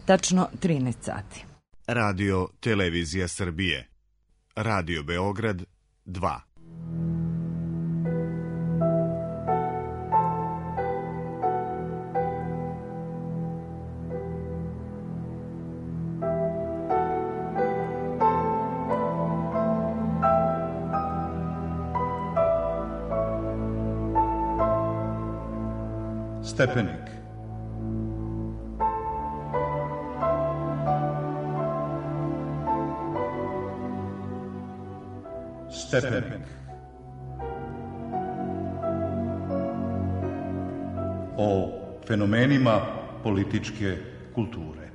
Tačno 13 sati. Radio Televizija Srbije. Radio Beograd 2. Stepenik. Stepenik. O fenomenima političke kulture.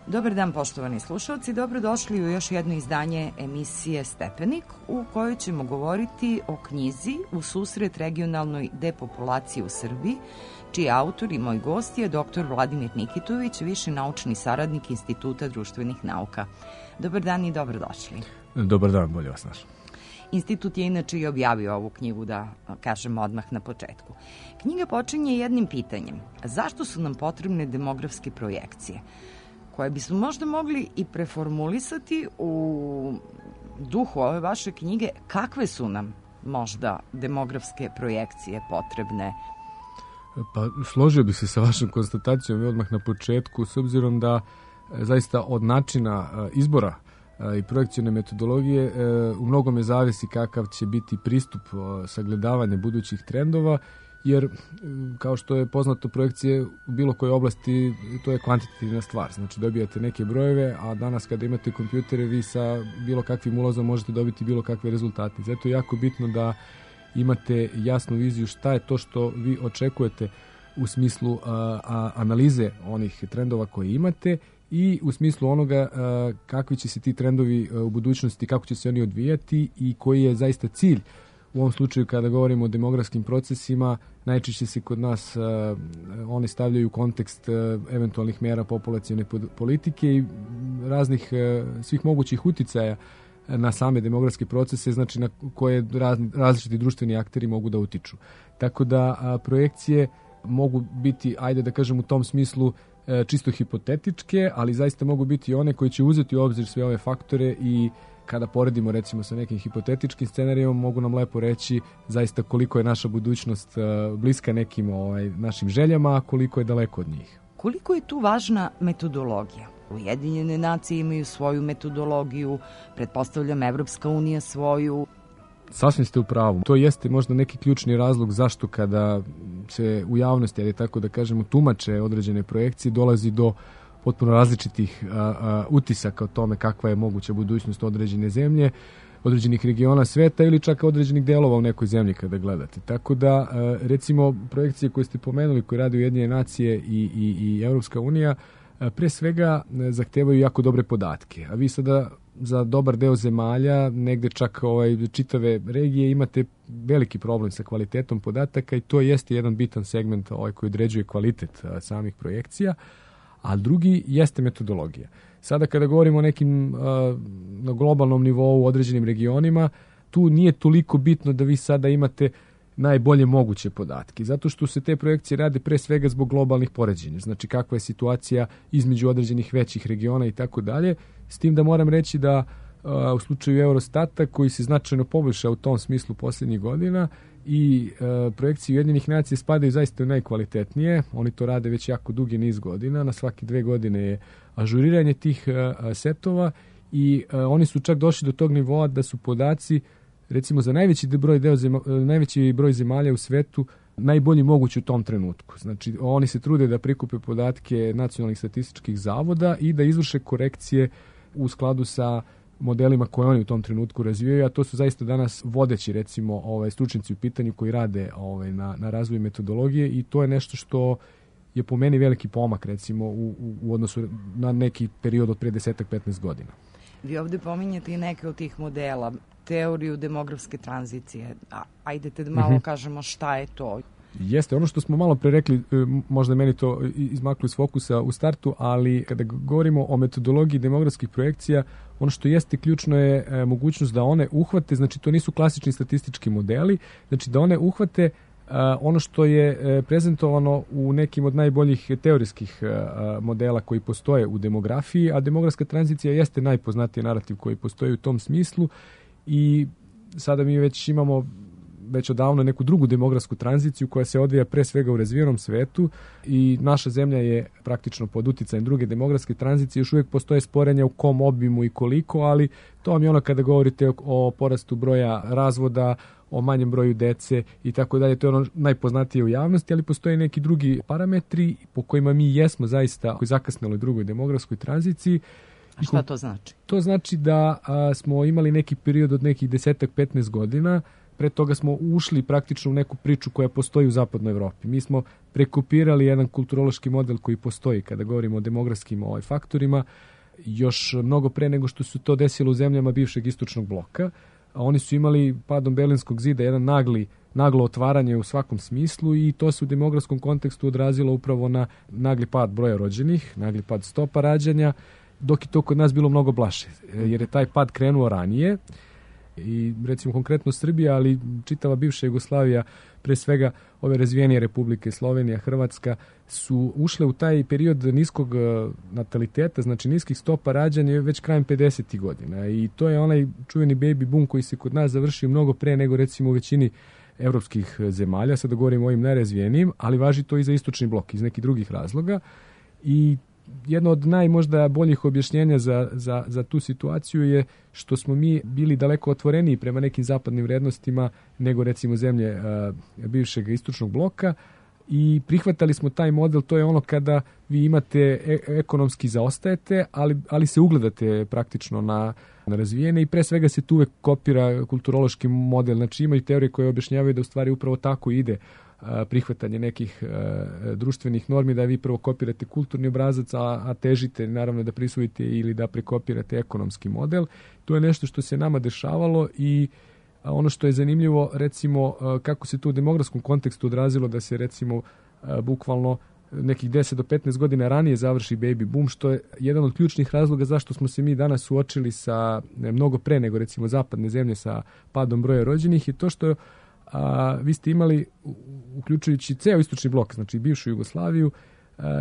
Dobar dan, poštovani slušalci, dobrodošli u još jedno izdanje emisije Stepenik, u kojoj ćemo govoriti o knjizi U susret regionalnoj depopulaciji u Srbiji, čiji autor i moj gost je dr. Vladimir Nikitović, viši naučni saradnik Instituta društvenih nauka. Dobar dan i dobrodošli. Dobar dan, bolje vas našao. Institut je inače i objavio ovu knjigu, da kažem odmah na početku. Knjiga počinje jednim pitanjem. Zašto su nam potrebne demografske projekcije? Koje bismo možda mogli i preformulisati u duhu ove vaše knjige, kakve su nam možda demografske projekcije potrebne? Pa složio bih se sa vašom konstatacijom i odmah na početku, s obzirom da zaista od načina izbora i projekcijne metodologije u mnogome zavisi kakav će biti pristup sagledavanja budućih trendova, jer kao što je poznato, projekcije u bilo kojoj oblasti, to je kvantitativna stvar. Znači dobijate neke brojeve, a danas kada imate kompjutere, vi sa bilo kakvim ulazom možete dobiti bilo kakve rezultate. Zato je jako bitno da imate jasnu viziju šta je to što vi očekujete u smislu analize onih trendova koje imate i u smislu onoga kakvi će se ti trendovi u budućnosti, kako će se oni odvijati i koji je zaista cilj. U ovom slučaju, kada govorimo o demografskim procesima, najčešće se kod nas oni stavljaju u kontekst eventualnih mera populacione politike i raznih svih mogućih uticaja na same demografske procese, znači na koje različiti društveni akteri mogu da utiču. Tako da projekcije mogu biti, ajde da kažem u tom smislu, čisto hipotetičke, ali zaista mogu biti one koji će uzeti u obzir sve ove faktore i kada poredimo recimo sa nekim hipotetičkim scenarijom, mogu nam lepo reći zaista koliko je naša budućnost bliska nekim našim željama, a koliko je daleko od njih. Koliko je tu važna metodologija? Ujedinjene nacije imaju svoju metodologiju, pretpostavljam Evropska unija svoju. Sasvim ste u pravu. To jeste možda neki ključni razlog zašto kada se u javnosti, ali tako da kažemo, tumače određene projekcije, dolazi do potpuno različitih utisaka o tome kakva je moguća budućnost određene zemlje, određenih regiona sveta ili čak određenih delova u nekoj zemlji kada gledate. Tako da, recimo, projekcije koje ste pomenuli, koje rade Ujedinjene nacije i Evropska unija, pre svega zahtevaju jako dobre podatke. A vi sada za dobar deo zemalja, negde čak čitave regije, imate veliki problem sa kvalitetom podataka i to jeste jedan bitan segment koji određuje kvalitet samih projekcija. A drugi jeste metodologija. Sada kada govorimo o nekim na globalnom nivou u određenim regionima, tu nije toliko bitno da vi sada imate najbolje moguće podatke, zato što se te projekcije rade pre svega zbog globalnih poređenja, znači kakva je situacija između određenih većih regiona i tako dalje, s tim da moram reći da u slučaju Eurostata, koji se značajno poboljšao u tom smislu posljednjih godina, i projekcije Ujedinjenih nacija spadaju zaista u najkvalitetnije. Oni to rade već jako dugi niz godina. Na svake 2 godine je ažuriranje tih setova i oni su čak došli do tog nivoa da su podaci, recimo za najveći broj zemalja u svetu, najbolji mogući u tom trenutku. Znači, oni se trude da prikupe podatke nacionalnih statističkih zavoda i da izvrše korekcije u skladu sa modelima koje oni u tom trenutku razvijaju, a to su zaista danas vodeći, recimo, stručnjaci u pitanju koji rade na razvoju metodologije i to je nešto što je po meni veliki pomak, recimo, u odnosu na neki period od pre 10-15 godina. Vi ovde pominjate i neke od tih modela, teoriju demografske tranzicije. Ajdete da malo kažemo šta je to. Jeste, ono što smo malo pre rekli, možda meni to izmaklo iz fokusa u startu, ali kada govorimo o metodologiji demografskih projekcija, ono što jeste ključno je mogućnost da one uhvate, znači to nisu klasični statistički modeli, znači da one uhvate ono što je prezentovano u nekim od najboljih teorijskih modela koji postoje u demografiji, a demografska tranzicija jeste najpoznatiji narativ koji postoji u tom smislu i sada mi već imamo odavno neku drugu demografsku tranziciju koja se odvija pre svega u razvijenom svetu i naša zemlja je praktično pod uticajem druge demografske tranzicije. Još uvijek postoje sporenja u kom obimu i koliko, ali to vam je ono kada govorite o porastu broja razvoda, o manjem broju dece i tako dalje. To je ono najpoznatije u javnosti, ali postoje neki drugi parametri po kojima mi jesmo zaista u zakasneloj drugoj demografskoj tranziciji. A šta to znači? To znači da smo imali neki period od nekih 10-15 godina. Pre toga smo ušli praktično u neku priču koja postoji u zapadnoj Evropi. Mi smo prekopirali jedan kulturološki model koji postoji kada govorimo o demografskim faktorima, još mnogo pre nego što se to desilo u zemljama bivšeg istočnog bloka. Oni su imali padom Berlinskog zida jedan naglo otvaranje u svakom smislu i to se u demografskom kontekstu odrazilo upravo na nagli pad broja rođenih, nagli pad stopa rađanja, dok je to kod nas bilo mnogo blaže, jer je taj pad krenuo ranije. I recimo konkretno Srbija, ali čitava bivša Jugoslavija, pre svega ove razvijenije republike, Slovenija, Hrvatska, su ušle u taj period niskog nataliteta, znači niskih stopa rađanja već krajem 50. godina. I to je onaj čuveni baby boom koji se kod nas završio mnogo pre nego recimo u većini evropskih zemalja, sada govorimo o ovim najrazvijenijim, ali važi to i za istočni blok iz nekih drugih razloga. I jedno od najmožda boljih objašnjenja za tu situaciju je što smo mi bili daleko otvoreniji prema nekim zapadnim vrednostima nego recimo zemlje bivšeg istočnog bloka i prihvatali smo taj model. To je ono kada vi imate ekonomski zaostajete, ali se ugledate praktično na razvijene i pre svega se tu uvek kopira kulturološki model. Znači imaju teorije koje objašnjavaju da u stvari upravo tako ide prihvatanje nekih društvenih normi, da vi prvo kopirate kulturni obrazac, a težite naravno da prisvojite ili da prekopirate ekonomski model. To je nešto što se nama dešavalo i ono što je zanimljivo, recimo, kako se to u demografskom kontekstu odrazilo da se recimo bukvalno nekih 10 do 15 godina ranije završi baby boom, što je jedan od ključnih razloga zašto smo se mi danas suočili sa mnogo pre nego recimo zapadne zemlje sa padom broja rođenih, i to što vi ste imali, uključujući ceo istočni blok, znači bivšu Jugoslaviju,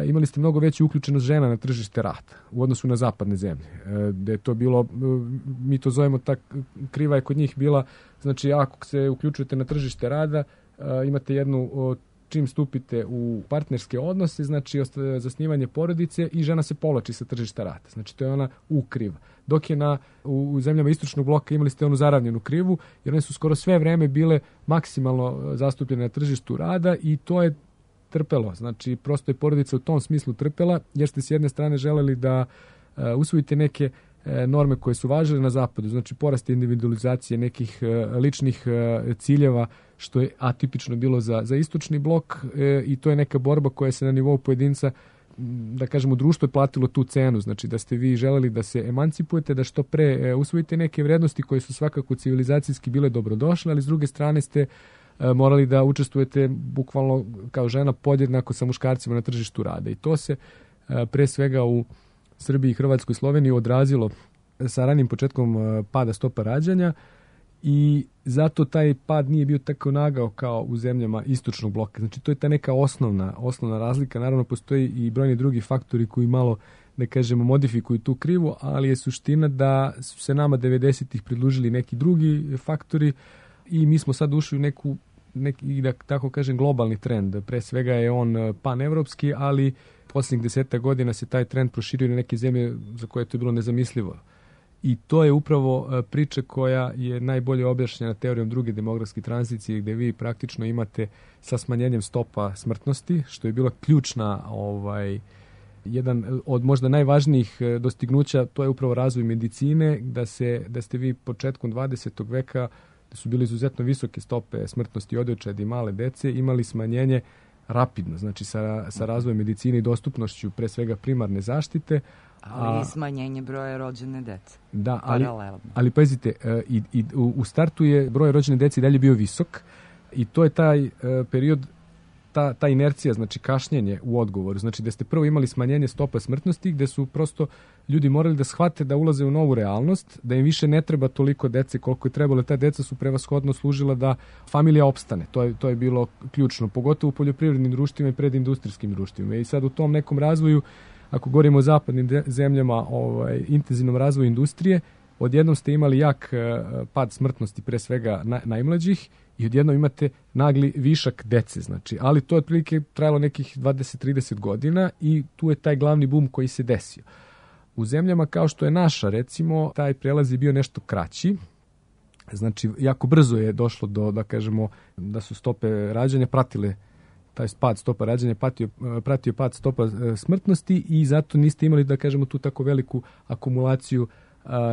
imali ste mnogo veću uključenost žena na tržište rada u odnosu na zapadne zemlje. Da je to bilo, mi to zovemo kriva je kod njih bila, znači ako se uključujete na tržište rada, imate jednu, čim stupite u partnerske odnose, znači zasnivanje porodice i žena se povlači sa tržišta rada. Znači to je ona kriva. Dok je u zemljama istočnog bloka imali ste onu zaravnjenu krivu, jer one su skoro sve vreme bile maksimalno zastupljene na tržištu rada i to je trpelo. Znači prosto je porodica u tom smislu trpela, jer ste s jedne strane želeli da usvojite neke norme koje su važile na zapadu, znači porast individualizacije nekih ličnih ciljeva, što je atipično bilo za istočni blok, i to je neka borba koja se na nivou pojedinca, da kažemo, društvo je platilo tu cenu, znači da ste vi želeli da se emancipujete, da što pre usvojite neke vrednosti koje su svakako civilizacijski bile dobrodošle, ali s druge strane ste morali da učestvujete bukvalno kao žena podjednako sa muškarcima na tržištu rada. I to se pre svega u Srbiji, Hrvatskoj i Sloveniji odrazilo sa ranim početkom pada stopa rađanja i zato taj pad nije bio tako nagao kao u zemljama istočnog bloka. Znači to je ta neka osnovna razlika. Naravno postoji i brojni drugi faktori koji malo, da kažemo, modifikuju tu krivu, ali je suština da su se nama 90-ih pridružili neki drugi faktori i mi smo sad ušli u neki, da tako kažem, globalni trend. Pre svega je on panevropski, ali posljednjih 10 godina se taj trend proširio na neke zemlje za koje je to bilo nezamislivo. I to je upravo priča koja je najbolje objašnjena teorijom druge demografske tranzicije, gde vi praktično imate sa smanjenjem stopa smrtnosti, što je bila ključna, jedan od možda najvažnijih dostignuća, to je upravo razvoj medicine, da ste vi početkom 20. veka, da su bili izuzetno visoke stope smrtnosti odojčadi i male dece, imali smanjenje rapidno, znači sa razvojem medicine i dostupnošću pre svega primarne zaštite. Ali i smanjenje broja rođene dece. Da, ali pazite, u startu je broj rođene dece i dalje bio visok i to je taj period ta inercija, znači kašnjenje u odgovoru, znači da ste prvo imali smanjenje stopa smrtnosti, gde su prosto ljudi morali da shvate da ulaze u novu realnost, da im više ne treba toliko dece koliko je trebalo. Ta deca su prevashodno služila da familija opstane. To je bilo ključno, pogotovo u poljoprivrednim društvima i predindustrijskim društvima. I sad u tom nekom razvoju, ako govorimo o zapadnim zemljama, intenzivnom razvoju industrije, odjednom ste imali jak pad smrtnosti, pre svega najmlađih, i odjednom imate nagli višak dece, znači, ali to je otprilike trajalo nekih 20-30 godina i tu je taj glavni bum koji se desio. U zemljama kao što je naša, recimo, taj prelaz je bio nešto kraći, znači, jako brzo je došlo do, da kažemo, da su stope rađanja pratile taj pad stopa rađanja, pratio pad stopa smrtnosti i zato niste imali, da kažemo, tu tako veliku akumulaciju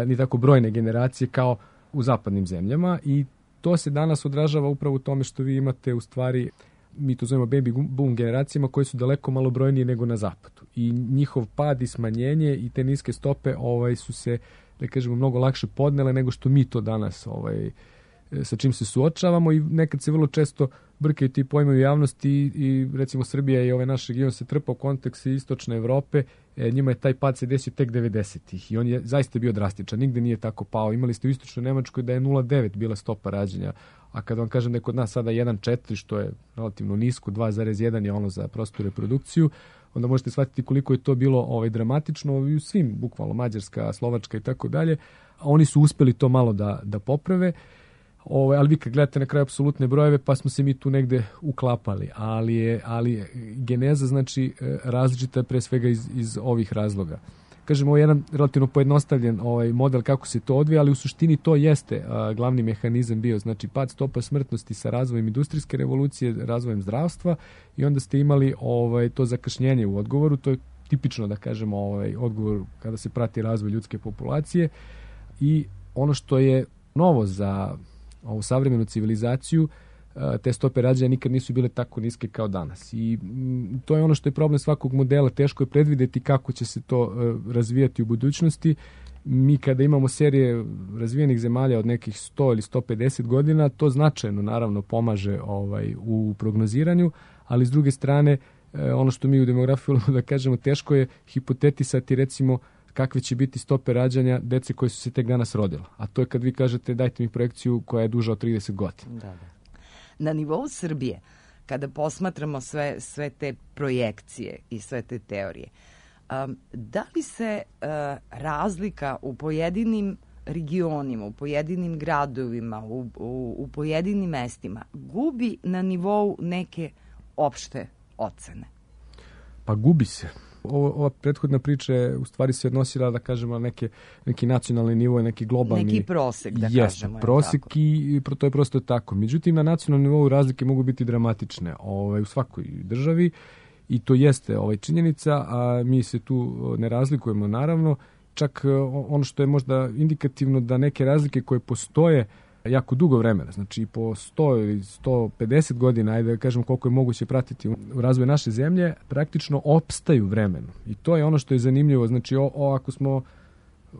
ni tako brojne generacije kao u zapadnim zemljama i to se danas odražava upravo u tome što vi imate u stvari, mi to zovemo baby boom generacijama koje su daleko malo brojnije nego na zapadu. I njihov pad i smanjenje i te niske stope su se, da kažemo, mnogo lakše podnele nego što mi to danas sa čim se suočavamo i nekad se vrlo često brkaju ti pojmovi u javnosti i recimo Srbija i ovaj naš region se trpa u kontekstu istočne Evrope, njima je taj pad se desio tek 90-ih i on je zaista bio drastičan, nigde nije tako pao. Imali ste u istočnoj Nemačkoj da je 0,9 bila stopa rađanja, a kada vam kažem da je kod nas sada 1,4, što je relativno nisko, 2,1 je ono za prostu reprodukciju, onda možete shvatiti koliko je to bilo dramatično i u svim, bukvalno Mađarska, Slovačka i tako dalje. Oni su uspeli to malo da poprave. Ali vi kad gledate na kraju apsolutne brojeve, pa smo se mi tu negde uklapali, ali geneza znači različita pre svega iz ovih razloga. Kažemo, ovo je jedan relativno pojednostavljen model kako se to odvija, ali u suštini to jeste glavni mehanizam bio, znači pad stopa smrtnosti sa razvojem industrijske revolucije, razvojem zdravstva i onda ste imali to zakašnjenje u odgovoru, to je tipično, da kažemo, odgovor kada se prati razvoj ljudske populacije i ono što je novo za ovu savremenu civilizaciju, te stope rađanja nikad nisu bile tako niske kao danas. I to je ono što je problem svakog modela. Teško je predvideti kako će se to razvijati u budućnosti. Mi kada imamo serije razvijenih zemalja od nekih 100 ili 150 godina, to značajno naravno pomaže u prognoziranju, ali s druge strane, ono što mi u demografiji da kažemo, teško je hipotetisati recimo kakve će biti stope rađanja dece koje su se tek danas rodila. A to je kad vi kažete dajte mi projekciju koja je duža od 30 godina. Da. Na nivou Srbije, kada posmatramo sve te projekcije i sve te teorije, da li se razlika u pojedinim regionima, u pojedinim gradovima, u pojedinim mestima gubi na nivou neke opšte ocene? Pa gubi se. Ova prethodna priča je u stvari se odnosila, da kažemo, na neki nacionalni nivo, neki globalni... Neki prosek, da kažemo. Prosek i to je prosto tako. Međutim, na nacionalnom nivou razlike mogu biti dramatične u svakoj državi i to jeste činjenica, a mi se tu ne razlikujemo naravno. Čak ono što je možda indikativno da neke razlike koje postoje jako dugo vremena, znači po 100 ili 150 godina, ajde da kažem koliko je moguće pratiti u razvoj naše zemlje, praktično opstaju vremenom. I to je ono što je zanimljivo. Znači, ako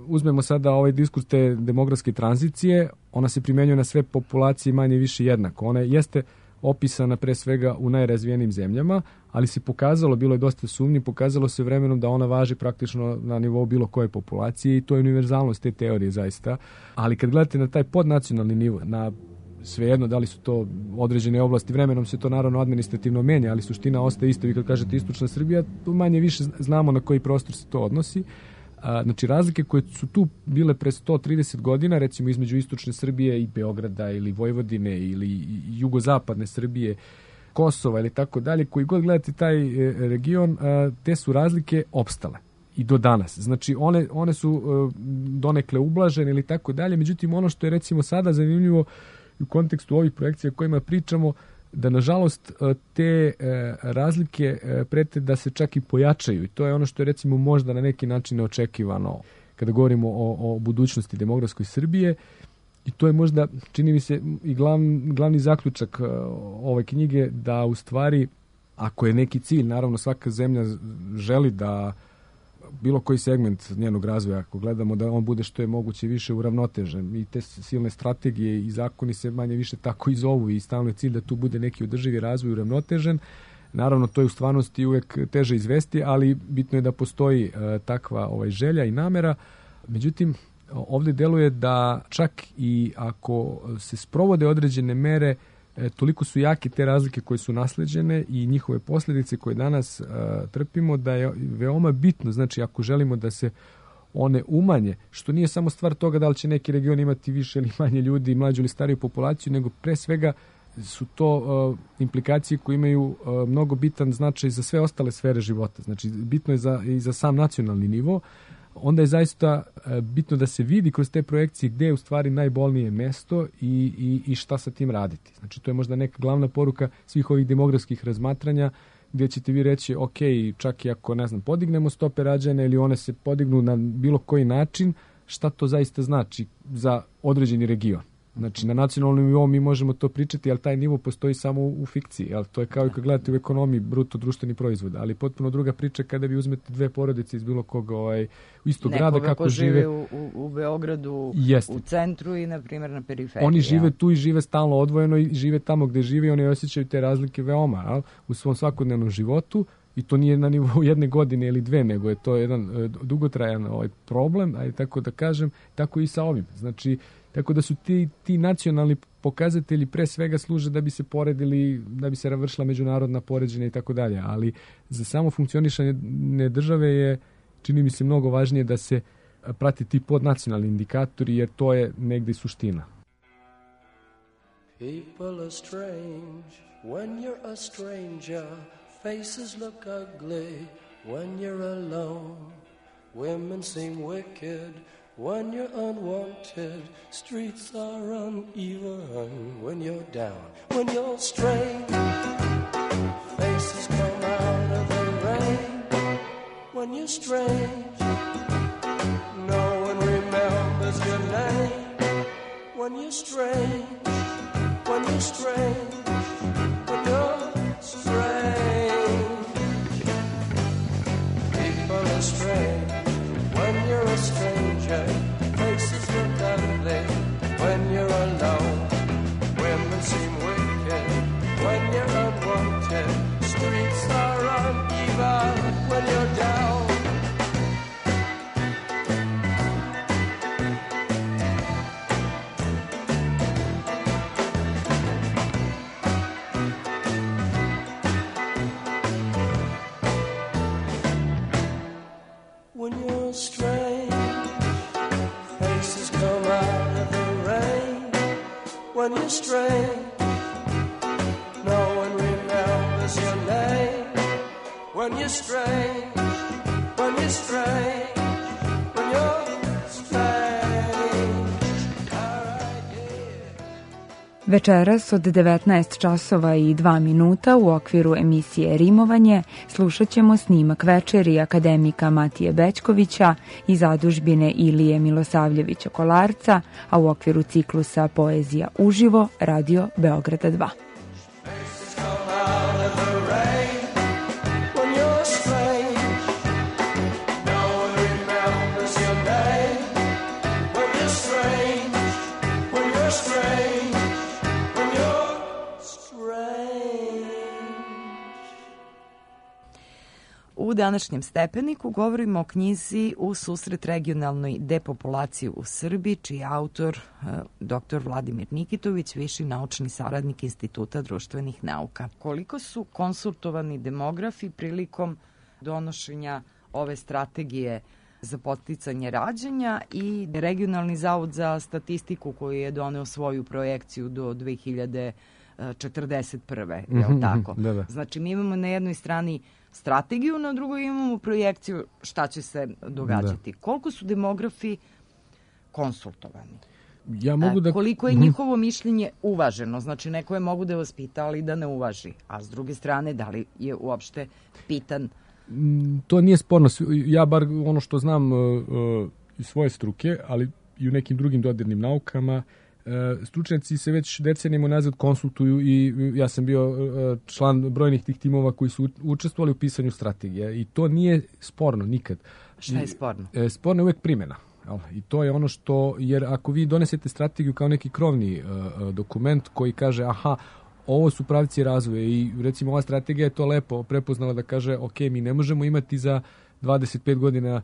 uzmemo sada ovaj diskurs te demografske tranzicije, ona se primenjuje na sve populacije manje više jednako. Ona jeste opisana pre svega u najrazvijenijim zemljama, ali se pokazalo, bilo je dosta sumnji, pokazalo se vremenom da ona važi praktično na nivou bilo koje populacije i to je univerzalnost te teorije zaista. Ali kad gledate na taj podnacionalni nivo, na svejedno da li su to određene oblasti, vremenom se to naravno administrativno menja, ali suština ostaje isto. Vi kad kažete istočna Srbija, manje više znamo na koji prostor se to odnosi. Znači, razlike koje su tu bile pre 130 godina, recimo između istočne Srbije i Beograda ili Vojvodine ili jugozapadne Srbije, Kosova ili tako dalje, koji god gledate taj region, te su razlike opstale i do danas. Znači, one su donekle ublažene ili tako dalje, međutim, ono što je recimo sada zanimljivo u kontekstu ovih projekcija o kojima pričamo, da nažalost te razlike prete da se čak i pojačaju i to je ono što je recimo možda na neki način neočekivano kada govorimo o budućnosti demografskoj Srbije i to je možda, čini mi se, i glavni zaključak ove knjige, da u stvari ako je neki cilj, naravno svaka zemlja želi da bilo koji segment njenog razvoja, ako gledamo da on bude što je moguće više uravnotežen i te silne strategije i zakoni se manje više tako i zovu i stalno je cilj da tu bude neki održivi razvoj uravnotežen. Naravno, to je u stvarnosti uvek teže izvesti, ali bitno je da postoji takva želja i namera. Međutim, ovdje deluje da čak i ako se sprovode određene mere, toliko su jake te razlike koje su nasleđene i njihove posljedice koje danas trpimo, da je veoma bitno, znači ako želimo da se one umanje, što nije samo stvar toga da li će neki region imati više ili manje ljudi, mlađu ili stariju populaciju, nego pre svega su to implikacije koje imaju mnogo bitan značaj za sve ostale sfere života. Znači, bitno je i za sam nacionalni nivo. Onda je zaista bitno da se vidi kroz te projekcije gde je u stvari najbolnije mesto i šta sa tim raditi. Znači, to je možda neka glavna poruka svih ovih demografskih razmatranja, gdje ćete vi reći, ok, čak i ako, podignemo stope rađanja ili one se podignu na bilo koji način, šta to zaista znači za određeni region. Znači, na nacionalnom nivou mi možemo to pričati, ali taj nivo postoji samo u fikciji. Ali to je kao i kad gledate u ekonomiji bruto društveni proizvod. Ali potpuno druga priča kada vi uzmete dve porodice iz bilo kog istog grada, kako žive. Nekoga ko žive u Beogradu, u centru i, na primjer, na periferiji. Oni žive tu i žive stalno odvojeno i žive tamo gde žive i oni osjećaju te razlike veoma u svom svakodnevnom životu. I to nije na nivou jedne godine ili dve, nego je to jedan dugotrajan problem, ajde tako da kažem, tako i sa ovim. Znači, tako da su ti nacionalni pokazatelji pre svega služe da bi se poredili, da bi se vršila međunarodna poređenja i tako dalje, ali za samo funkcionisanje države je, čini mi se, mnogo važnije da se prati ti podnacionalni indikatori, jer to je negde suština. People are strange when you're a stranger. Faces look ugly when you're alone. Women seem wicked when you're unwanted. Streets are uneven when you're down. When you're strange, faces come out of the rain. When you're strange, no one remembers your name. When you're strange, when you're strange, when you're strange. Strange when you're a stranger, faces look ugly when you're alone. Women seem wicked when you're unwanted. Streets are uneven when you're down. When you're strange, no one remembers your name. When you're strange, when you're strange, when you're strange. Večeras od 19 časova i 2 minuta u okviru emisije Rimovanje slušat ćemo snimak večeri akademika Matije Bećkovića i zadužbine Ilije Milosavljevića Kolarca, a u okviru ciklusa Poezija uživo Radio Beograda 2. U današnjem Stepeniku govorimo o knjizi U susret regionalnoj depopulaciji u Srbiji, čiji je autor dr. Vladimir Nikitović, viši naučni saradnik Instituta društvenih nauka. Koliko su konsultovani demografi prilikom donošenja ove strategije za podsticanje rađanja i Regionalni zavod za statistiku koji je doneo svoju projekciju do 2041. Je li tako? Da. Znači, mi imamo na jednoj strani strategiju, na drugoj imamo projekciju šta će se događati. Da. Koliko su demografi konsultovani? Koliko je njihovo mišljenje uvaženo? Znači, neko je mogu da vas pita, ali da ne uvaži. A s druge strane, da li je uopšte pitan? To nije sporno. Ja bar ono što znam iz svoje struke, ali i u nekim drugim dodirnim naukama, stručnjaci se već decenijama nazad konsultuju i ja sam bio član brojnih tih timova koji su učestvovali u pisanju strategije i to nije sporno nikad. Šta je sporno? Sporno je uvek primjena. I to je ono što, jer ako vi donesete strategiju kao neki krovni dokument koji kaže ovo su pravci razvoja i recimo ova strategija je to lepo prepoznala da kaže ok, mi ne možemo imati za 25 godina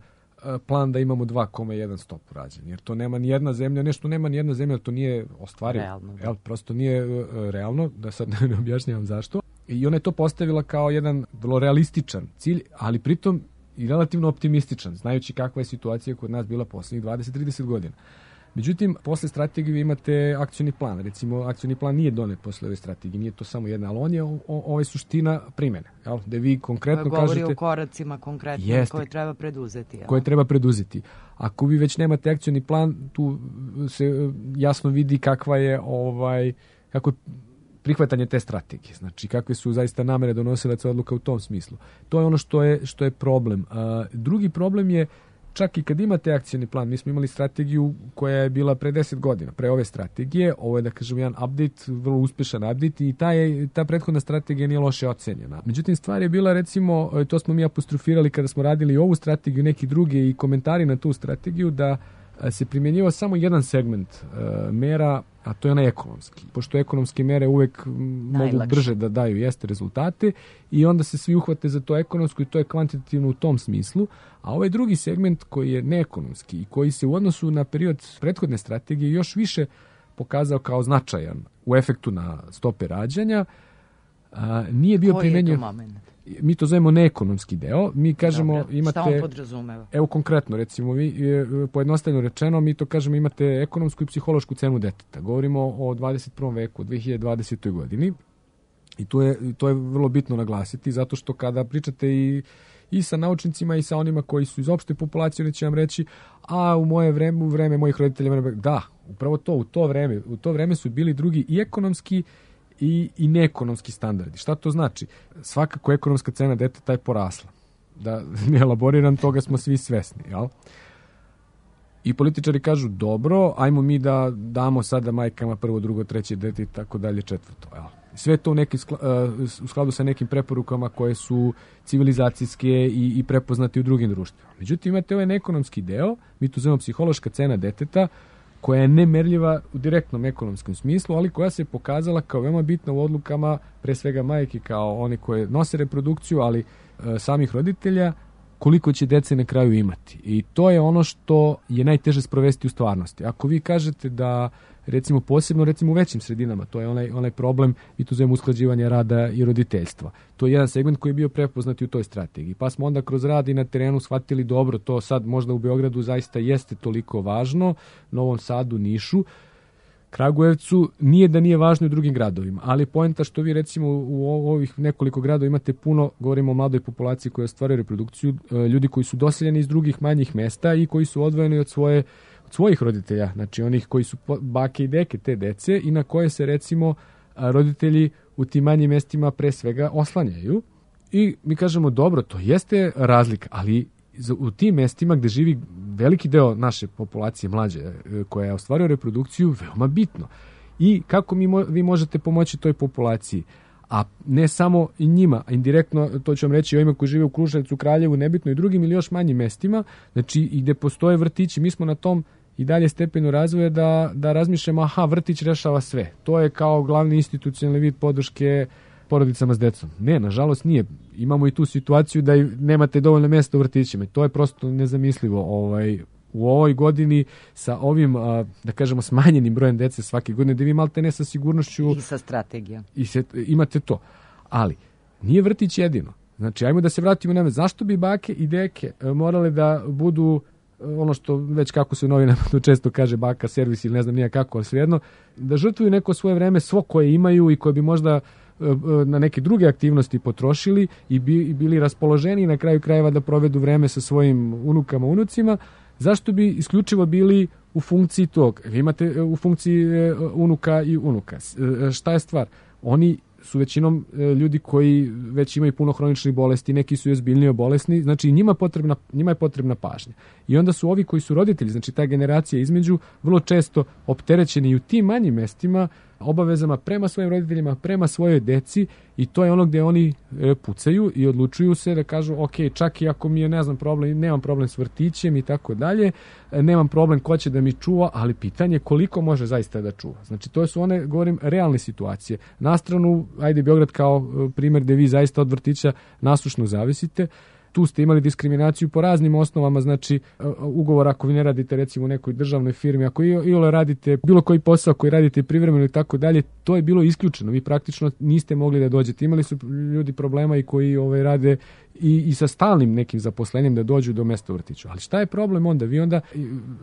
plan da imamo 2,1 stopu rađanja, jer to nema ni jedna zemlja, nešto nema ni jedna zemlja, to nije ostvarivo. Realno, prosto nije realno, da sad ne objašnjavam zašto. I ona je to postavila kao jedan vrlo realističan cilj, ali pritom i relativno optimističan, znajući kakva je situacija kod nas bila poslednjih 20-30 godina. Međutim, posle strategije vi imate akcioni plan. Recimo, akcioni plan nije donet posle ove strategije, nije to samo jedna, ali on je ovo je suština primene. Jel? Da vi konkretno govori kažete... Govori o koracima konkretno koje treba preduzeti. Jel? Koje treba preduzeti. Ako vi već nemate akcioni plan, tu se jasno vidi kakva je kako je prihvatanje te strategije. Znači, kakve su zaista namere donosilaca odluka u tom smislu. To je ono što je problem. Drugi problem je čak i kad imate akcioni plan, mi smo imali strategiju koja je bila pre 10 godina, pre ove strategije, ovo je da kažem jedan update, vrlo uspešan update i ta prethodna strategija nije loše ocenjena. Međutim, stvar je bila recimo, to smo mi apostrofirali kada smo radili ovu strategiju, neki drugi i komentari na tu strategiju, da se primjenjivao samo jedan segment mera, a to je onaj ekonomski. Pošto ekonomske mere uvek mogu brže da daju jeste rezultate i onda se svi uhvate za to ekonomsko i to je kvantitativno u tom smislu. A ovaj drugi segment koji je neekonomski i koji se u odnosu na period prethodne strategije još više pokazao kao značajan u efektu na stope rađanja, nije bio primenjen. Koji je to moment? Mi to zovemo neekonomski deo. Mi kažemo imate... Šta on podrazumeva? Evo konkretno, recimo, vi, pojednostavljeno rečeno, mi to kažemo imate ekonomsku i psihološku cenu deteta. Govorimo o 21. veku, 2020. godini. I to je vrlo bitno naglasiti, zato što kada pričate i sa naučnicima i sa onima koji su iz opšte populacije, oni će vam reći, a u moje vreme, u vreme mojih roditelja, da, upravo to, u to vreme su bili drugi i ekonomski i neekonomski standardi. Šta to znači? Svakako ekonomska cena deteta je porasla. Da ne elaboriram, toga smo svi svesni. Jel? I političari kažu, dobro, ajmo mi da damo sada majkama prvo, drugo, treće dete i tako dalje, četvrto. Jel? Sve to u skladu sa nekim preporukama koje su civilizacijske i prepoznate u drugim društvima. Međutim, imate ovaj neekonomski deo, mi to zovemo psihološka cena deteta, koja je nemerljiva u direktnom ekonomskom smislu, ali koja se pokazala kao veoma bitna u odlukama, pre svega majke kao one koje nose reprodukciju, ali samih roditelja, koliko će dece na kraju imati. I to je ono što je najteže sprovesti u stvarnosti. Ako vi kažete da, recimo posebno u većim sredinama, to je onaj problem, i tu zovemo usklađivanje rada i roditeljstva. To je jedan segment koji je bio prepoznat u toj strategiji. Pa smo onda kroz rad i na terenu shvatili dobro, to sad možda u Beogradu zaista jeste toliko važno, Novom Sadu, Nišu, Kragujevcu, nije da nije važno u drugim gradovima, ali poenta što vi recimo u ovih nekoliko gradova imate puno, govorimo o mladoj populaciji koja ostvaruje reprodukciju, ljudi koji su doseljeni iz drugih manjih mesta i koji su odvojeni od svojih roditelja, znači onih koji su bake i deke te dece i na koje se recimo roditelji u tim manjim mestima pre svega oslanjaju. I mi kažemo, dobro, to jeste razlika, ali u tim mestima gde živi veliki deo naše populacije mlađe koja ostvaruje reprodukciju, veoma bitno. I kako vi možete pomoći toj populaciji? A ne samo i njima, a indirektno, to ću vam reći, ovima koji žive u Kruševcu, Kraljevu, nebitno i drugim ili još manjim mestima, znači i gde postoje vrtići, mi smo na tom i dalje stepenu razvoja da razmišljamo, vrtić rešava sve. To je kao glavni institucionalni vid podrške porodicama s decom. Ne, nažalost nije. Imamo i tu situaciju da nemate dovoljno mjesta u vrtićima. To je prosto nezamislivo. U ovoj godini sa ovim, da kažemo, smanjenim brojem dece svake godine, da vi malte ne sa sigurnošću... I sa strategijom. Imate to. Ali, nije vrtić jedino. Znači, ajmo da se vratimo na zašto bi bake i deke morale da budu ono što već kako se u novinama često kaže baka servis ili ne znam nija kako, ali svejedno, da žrtvuju neko svoje vreme, svo koje imaju i koje bi možda na neke druge aktivnosti potrošili i bili raspoloženi na kraju krajeva da provedu vreme sa svojim unukama, unucima, zašto bi isključivo bili u funkciji tog? Vi imate u funkciji unuka i unuka. Šta je stvar? Oni su većinom ljudi koji već imaju puno hroničnih bolesti, neki su ozbiljnije bolesni, znači njima je potrebna pažnja. I onda su ovi koji su roditelji, znači ta generacija između, vrlo često opterećeni i u tim manjim mestima obavezama prema svojim roditeljima, prema svojoj deci, i to je ono gdje oni pucaju i odlučuju se da kažu ok, čak i ako mi je, ne znam, problem, nemam problem s vrtićem i tako dalje, nemam problem ko će da mi čuva, ali pitanje koliko može zaista da čuva. Znači to su one, govorim, realne situacije. Na stranu, ajde Beograd kao primjer gdje vi zaista od vrtića nasušno zavisite. Tu ste imali diskriminaciju po raznim osnovama, znači ugovor ako vi ne radite recimo u nekoj državnoj firmi, ako iole radite bilo koji posao koji radite privremeno i tako dalje, to je bilo isključeno. Vi praktično niste mogli da dođete. Imali su ljudi problema i koji rade i sa stalnim nekim zaposlenjem da dođu do mesta u vrtiću. Ali šta je problem onda? Vi onda,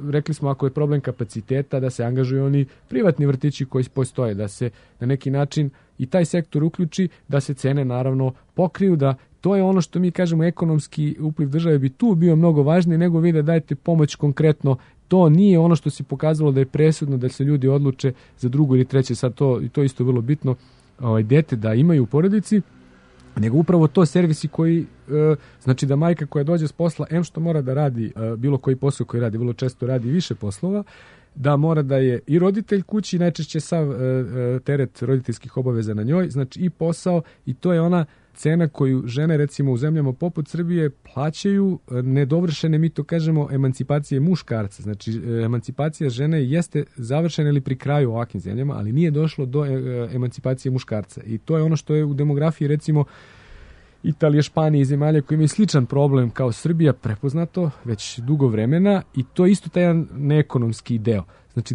rekli smo, ako je problem kapaciteta, da se angažuju oni privatni vrtići koji postoje, da se na neki način i taj sektor uključi, da se cene naravno pokriju, da to je ono što mi kažemo, ekonomski upliv države bi tu bio mnogo važniji nego vi da dajete pomoć konkretno. To nije ono što se pokazalo da je presudno da se ljudi odluče za drugo ili treće, sad to isto vrlo bitno, dete da imaju u porodici, nego upravo to servisi koji, znači da majka koja dođe s posla, što mora da radi bilo koji posao koji radi, vrlo često radi više poslova, da mora da je i roditelj kući, najčešće sav teret roditeljskih obaveza na njoj, znači i posao, i to je ona cena koju žene recimo u zemljama poput Srbije plaćaju nedovršene, mi to kažemo, emancipacije muškarca. Znači emancipacija žene jeste završena ili pri kraju u ovakvim zemljama, ali nije došlo do emancipacije muškarca. I to je ono što je u demografiji recimo Italije, Španije i zemalja koji imaju sličan problem kao Srbija prepoznato već dugo vremena, i to je isto taj jedan neekonomski deo. Znači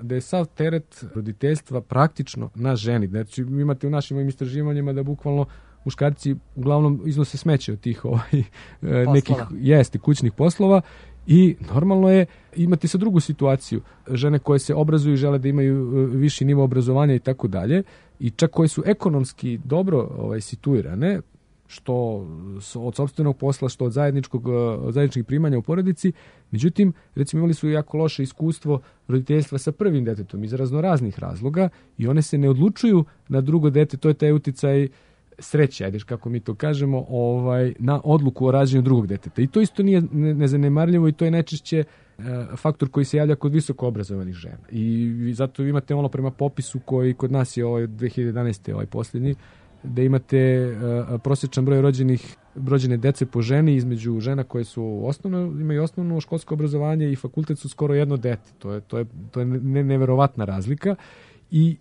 da je sav teret roditeljstva praktično na ženi. Znači imate u našim istraživanjima da bukvalno muškarci uglavnom iznose smeće od tih nekih kućnih poslova, i normalno je imati sa drugu situaciju. Žene koje se obrazuju, žele da imaju viši nivo obrazovanja i tako dalje, i čak koje su ekonomski dobro situirane, što od sopstvenog posla, što od zajedničkih primanja u porodici. Međutim, recimo imali su jako loše iskustvo roditeljstva sa prvim detetom iz raznoraznih razloga, i one se ne odlučuju na drugo dete, to je taj uticaj sreće, ajde kako mi to kažemo, na odluku o rađanju drugog deteta. I to isto nije nezanemarljivo, i to je najčešće faktor koji se javlja kod visoko obrazovanih žena. I zato imate ono prema popisu koji kod nas je 2011. Posljednji, da imate prosječan broj rođene dece po ženi između žena koje su imaju osnovno školsko obrazovanje i fakultet su skoro jedno dete. To je neverovatna razlika, i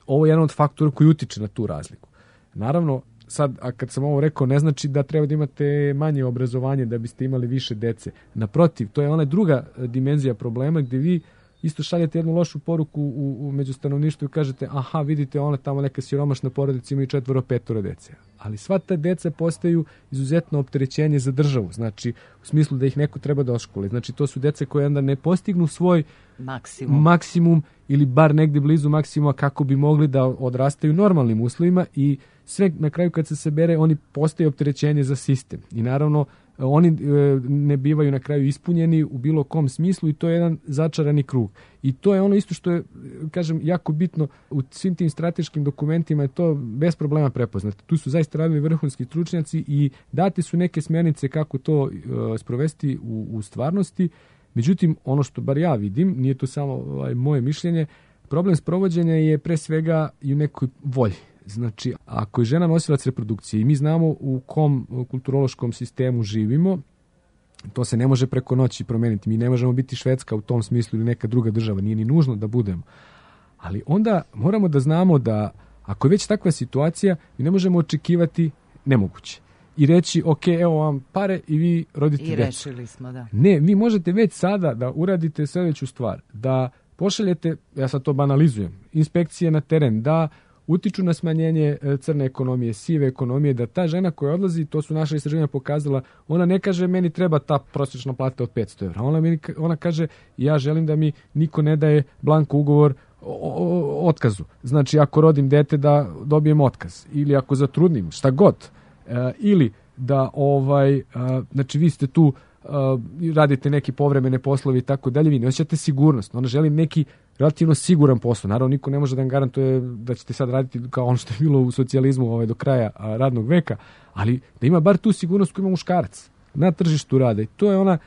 ovo je jedan od faktora koji utiče na tu razliku. Naravno, sad, a kad sam ovo rekao, ne znači da treba da imate manje obrazovanje da biste imali više dece. Naprotiv, to je ona druga dimenzija problema gdje vi isto šaljete jednu lošu poruku među stanovništvu i kažete, aha, vidite, ona tamo neka siromašna porodica ima i 4-5 dece. Ali sva ta deca postaju izuzetno opterećenje za državu. Znači, u smislu da ih neko treba da oškoli. Znači, to su dece koje onda ne postignu svoj maksimum ili bar negdje blizu maksimuma kako bi mogli da odrastaju normalnim uslovima, i sve na kraju kad se sabere oni postaju opterećenje za sistem. I naravno oni ne bivaju na kraju ispunjeni u bilo kom smislu, i to je jedan začarani krug. I to je ono isto što je, kažem, jako bitno u svim tim strateškim dokumentima, je to bez problema prepoznato. Tu su zaista radili vrhunski stručnjaci i date su neke smjernice kako to sprovesti u stvarnosti. Međutim, ono što bar ja vidim, nije to samo moje mišljenje, problem sprovođenja je pre svega i u nekoj volji. Znači, ako je žena nosilac reprodukcije i mi znamo u kom kulturološkom sistemu živimo, to se ne može preko noći promijeniti. Mi ne možemo biti Švedska u tom smislu ili neka druga država, nije ni nužno da budemo. Ali onda moramo da znamo da ako je već takva situacija, mi ne možemo očekivati nemoguće. I reći, ok, evo vam pare i vi rodite djecu. I rešili smo, da. Ne, vi možete već sada da uradite sljedeću stvar, da pošaljete, ja sad to banalizujem, inspekcije na teren, da utiču na smanjenje crne ekonomije, sive ekonomije, da ta žena koja odlazi, to su naša istraživanja pokazala, ona ne kaže meni treba ta prosječna plata od 500 evra. Ona kaže ja želim da mi niko ne daje blanko ugovor o otkazu. Znači ako rodim dete da dobijem otkaz, ili ako zatrudnim, šta god. Ili da znači vi ste tu radite neki povremene poslovi i tako dalje, vi ne osjećate sigurnost. Ona želi neki relativno siguran posao. Naravno, niko ne može da vam garantuje da ćete sad raditi kao ono što je bilo u socijalizmu do kraja radnog veka, ali da ima bar tu sigurnost koju ima muškarac na tržištu rada. I to je ona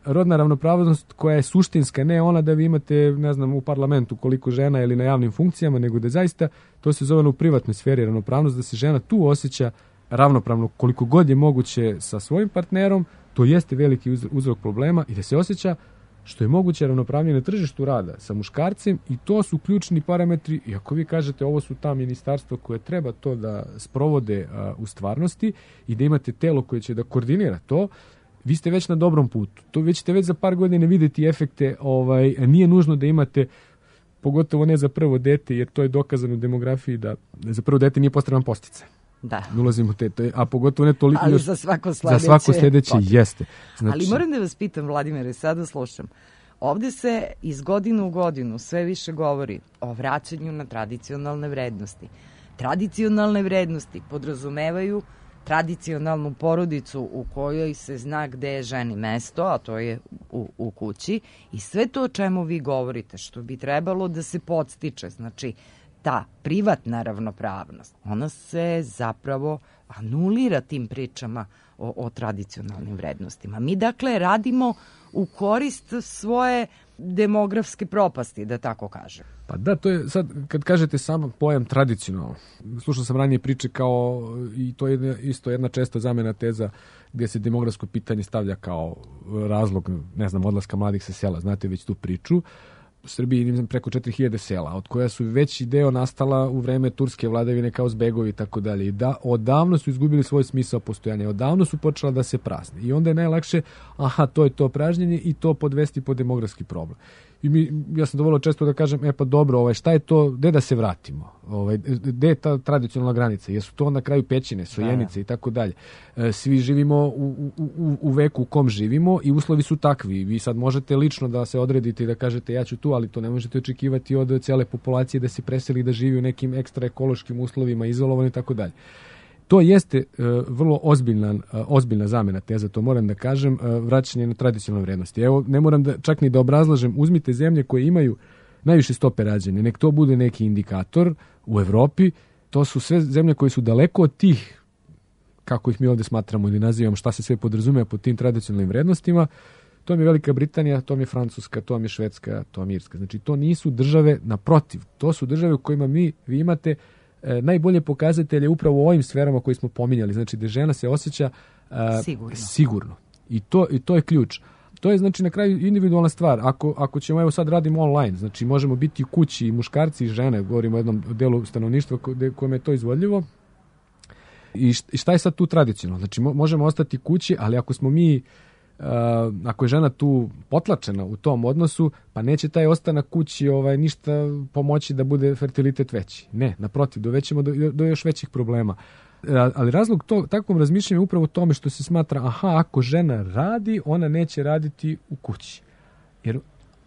rodna ravnopravnost koja je suštinska, ne ona da vi imate, ne znam, u parlamentu koliko žena ili na javnim funkcijama, nego da zaista, to se zove u privatnoj sferi ravnopravnost, da se žena tu osjeća ravnopravno koliko god je moguće sa svojim partnerom, to jeste veliki uzrok problema, i da se osjeća što je moguće ravnopravnije na tržištu rada sa muškarcem, i to su ključni parametri. I ako vi kažete ovo su ta ministarstva koje treba to da sprovode u stvarnosti i da imate telo koje će da koordinira to, vi ste već na dobrom putu. To vi ćete već za par godina vidjeti efekte. Nije nužno da imate, pogotovo ne za prvo dete, jer to je dokazano u demografiji da za prvo dete nije potreban podsticaj. Da. Ulazimo a pogotovo ne toliko. Ali za svako sljedeće jeste. Znači, ali moram da vas pitam, Vladimire, sada slušam. Ovde se iz godine u godinu sve više govori o vraćanju na tradicionalne vrednosti. Tradicionalne vrednosti podrazumevaju tradicionalnu porodicu u kojoj se zna gde je ženi mesto, a to je u kući, i sve to o čemu vi govorite, što bi trebalo da se podstiče, znači ta privatna ravnopravnost, ona se zapravo anulira tim pričama o tradicionalnim vrednostima. Mi dakle radimo u korist svoje demografske propasti, da tako kažem. Pa da, to je sad, kad kažete samo pojam tradicionalno, slušao sam ranije priče kao, i to je isto jedna česta zamena teza gdje se demografsko pitanje stavlja kao razlog, ne znam, odlaska mladih sa sela, znate već tu priču. U Srbiji imam preko 4000 sela, od koja su veći deo nastala u vreme turske vladavine kao zbegovi i tako dalje. I da, odavno su izgubili svoj smisao postojanja, odavno su počela da se prazne. I onda je najlakše, to je to pražnjenje i to podvesti pod demografski problem. I ja sam dovoljno često da kažem, pa dobro, šta je to, gde da se vratimo? Gde je ta tradicionalna granica? Jesu to na kraju pećine, sojenice i tako dalje? Svi živimo u veku u kom živimo i uslovi su takvi. Vi sad možete lično da se odredite i da kažete ja ću tu, ali to ne možete očekivati od cele populacije da se preseli, da živi u nekim ekstra ekološkim uslovima, izolovani i tako dalje. To jeste vrlo ozbiljna zamena teza, to moram da kažem, vraćanje na tradicionalne vrednosti. Evo, ne moram čak ni da obrazlažem, uzmite zemlje koje imaju najviše stope rađanja, nek to bude neki indikator u Evropi, to su sve zemlje koje su daleko od tih, kako ih mi ovdje smatramo ili nazivamo, šta se sve podrazumeva pod tim tradicionalnim vrednostima. To mi je Velika Britanija, to mi je Francuska, to mi je Švedska, to mi je Irska. Znači, to nisu države, naprotiv, to su države u kojima vi imate najbolje pokazatelje upravo u ovim sferama koje smo pominjali, znači da žena se osjeća sigurno. I to je ključ. To je znači na kraju individualna stvar. Ako ćemo, evo sad radimo online, znači možemo biti u kući i muškarci i žene, govorimo o jednom delu stanovništva kojem je to izvodljivo. I šta je sad tu tradicionalno? Znači možemo ostati kući, ali ako smo mi ako je žena tu potlačena u tom odnosu, pa neće taj ostanak kući ništa pomoći da bude fertilitet veći. Ne, naprotiv, dovećemo do još većih problema. Ali razlog takvom razmišljanju je upravo u tome što se smatra, ako žena radi, ona neće raditi u kući.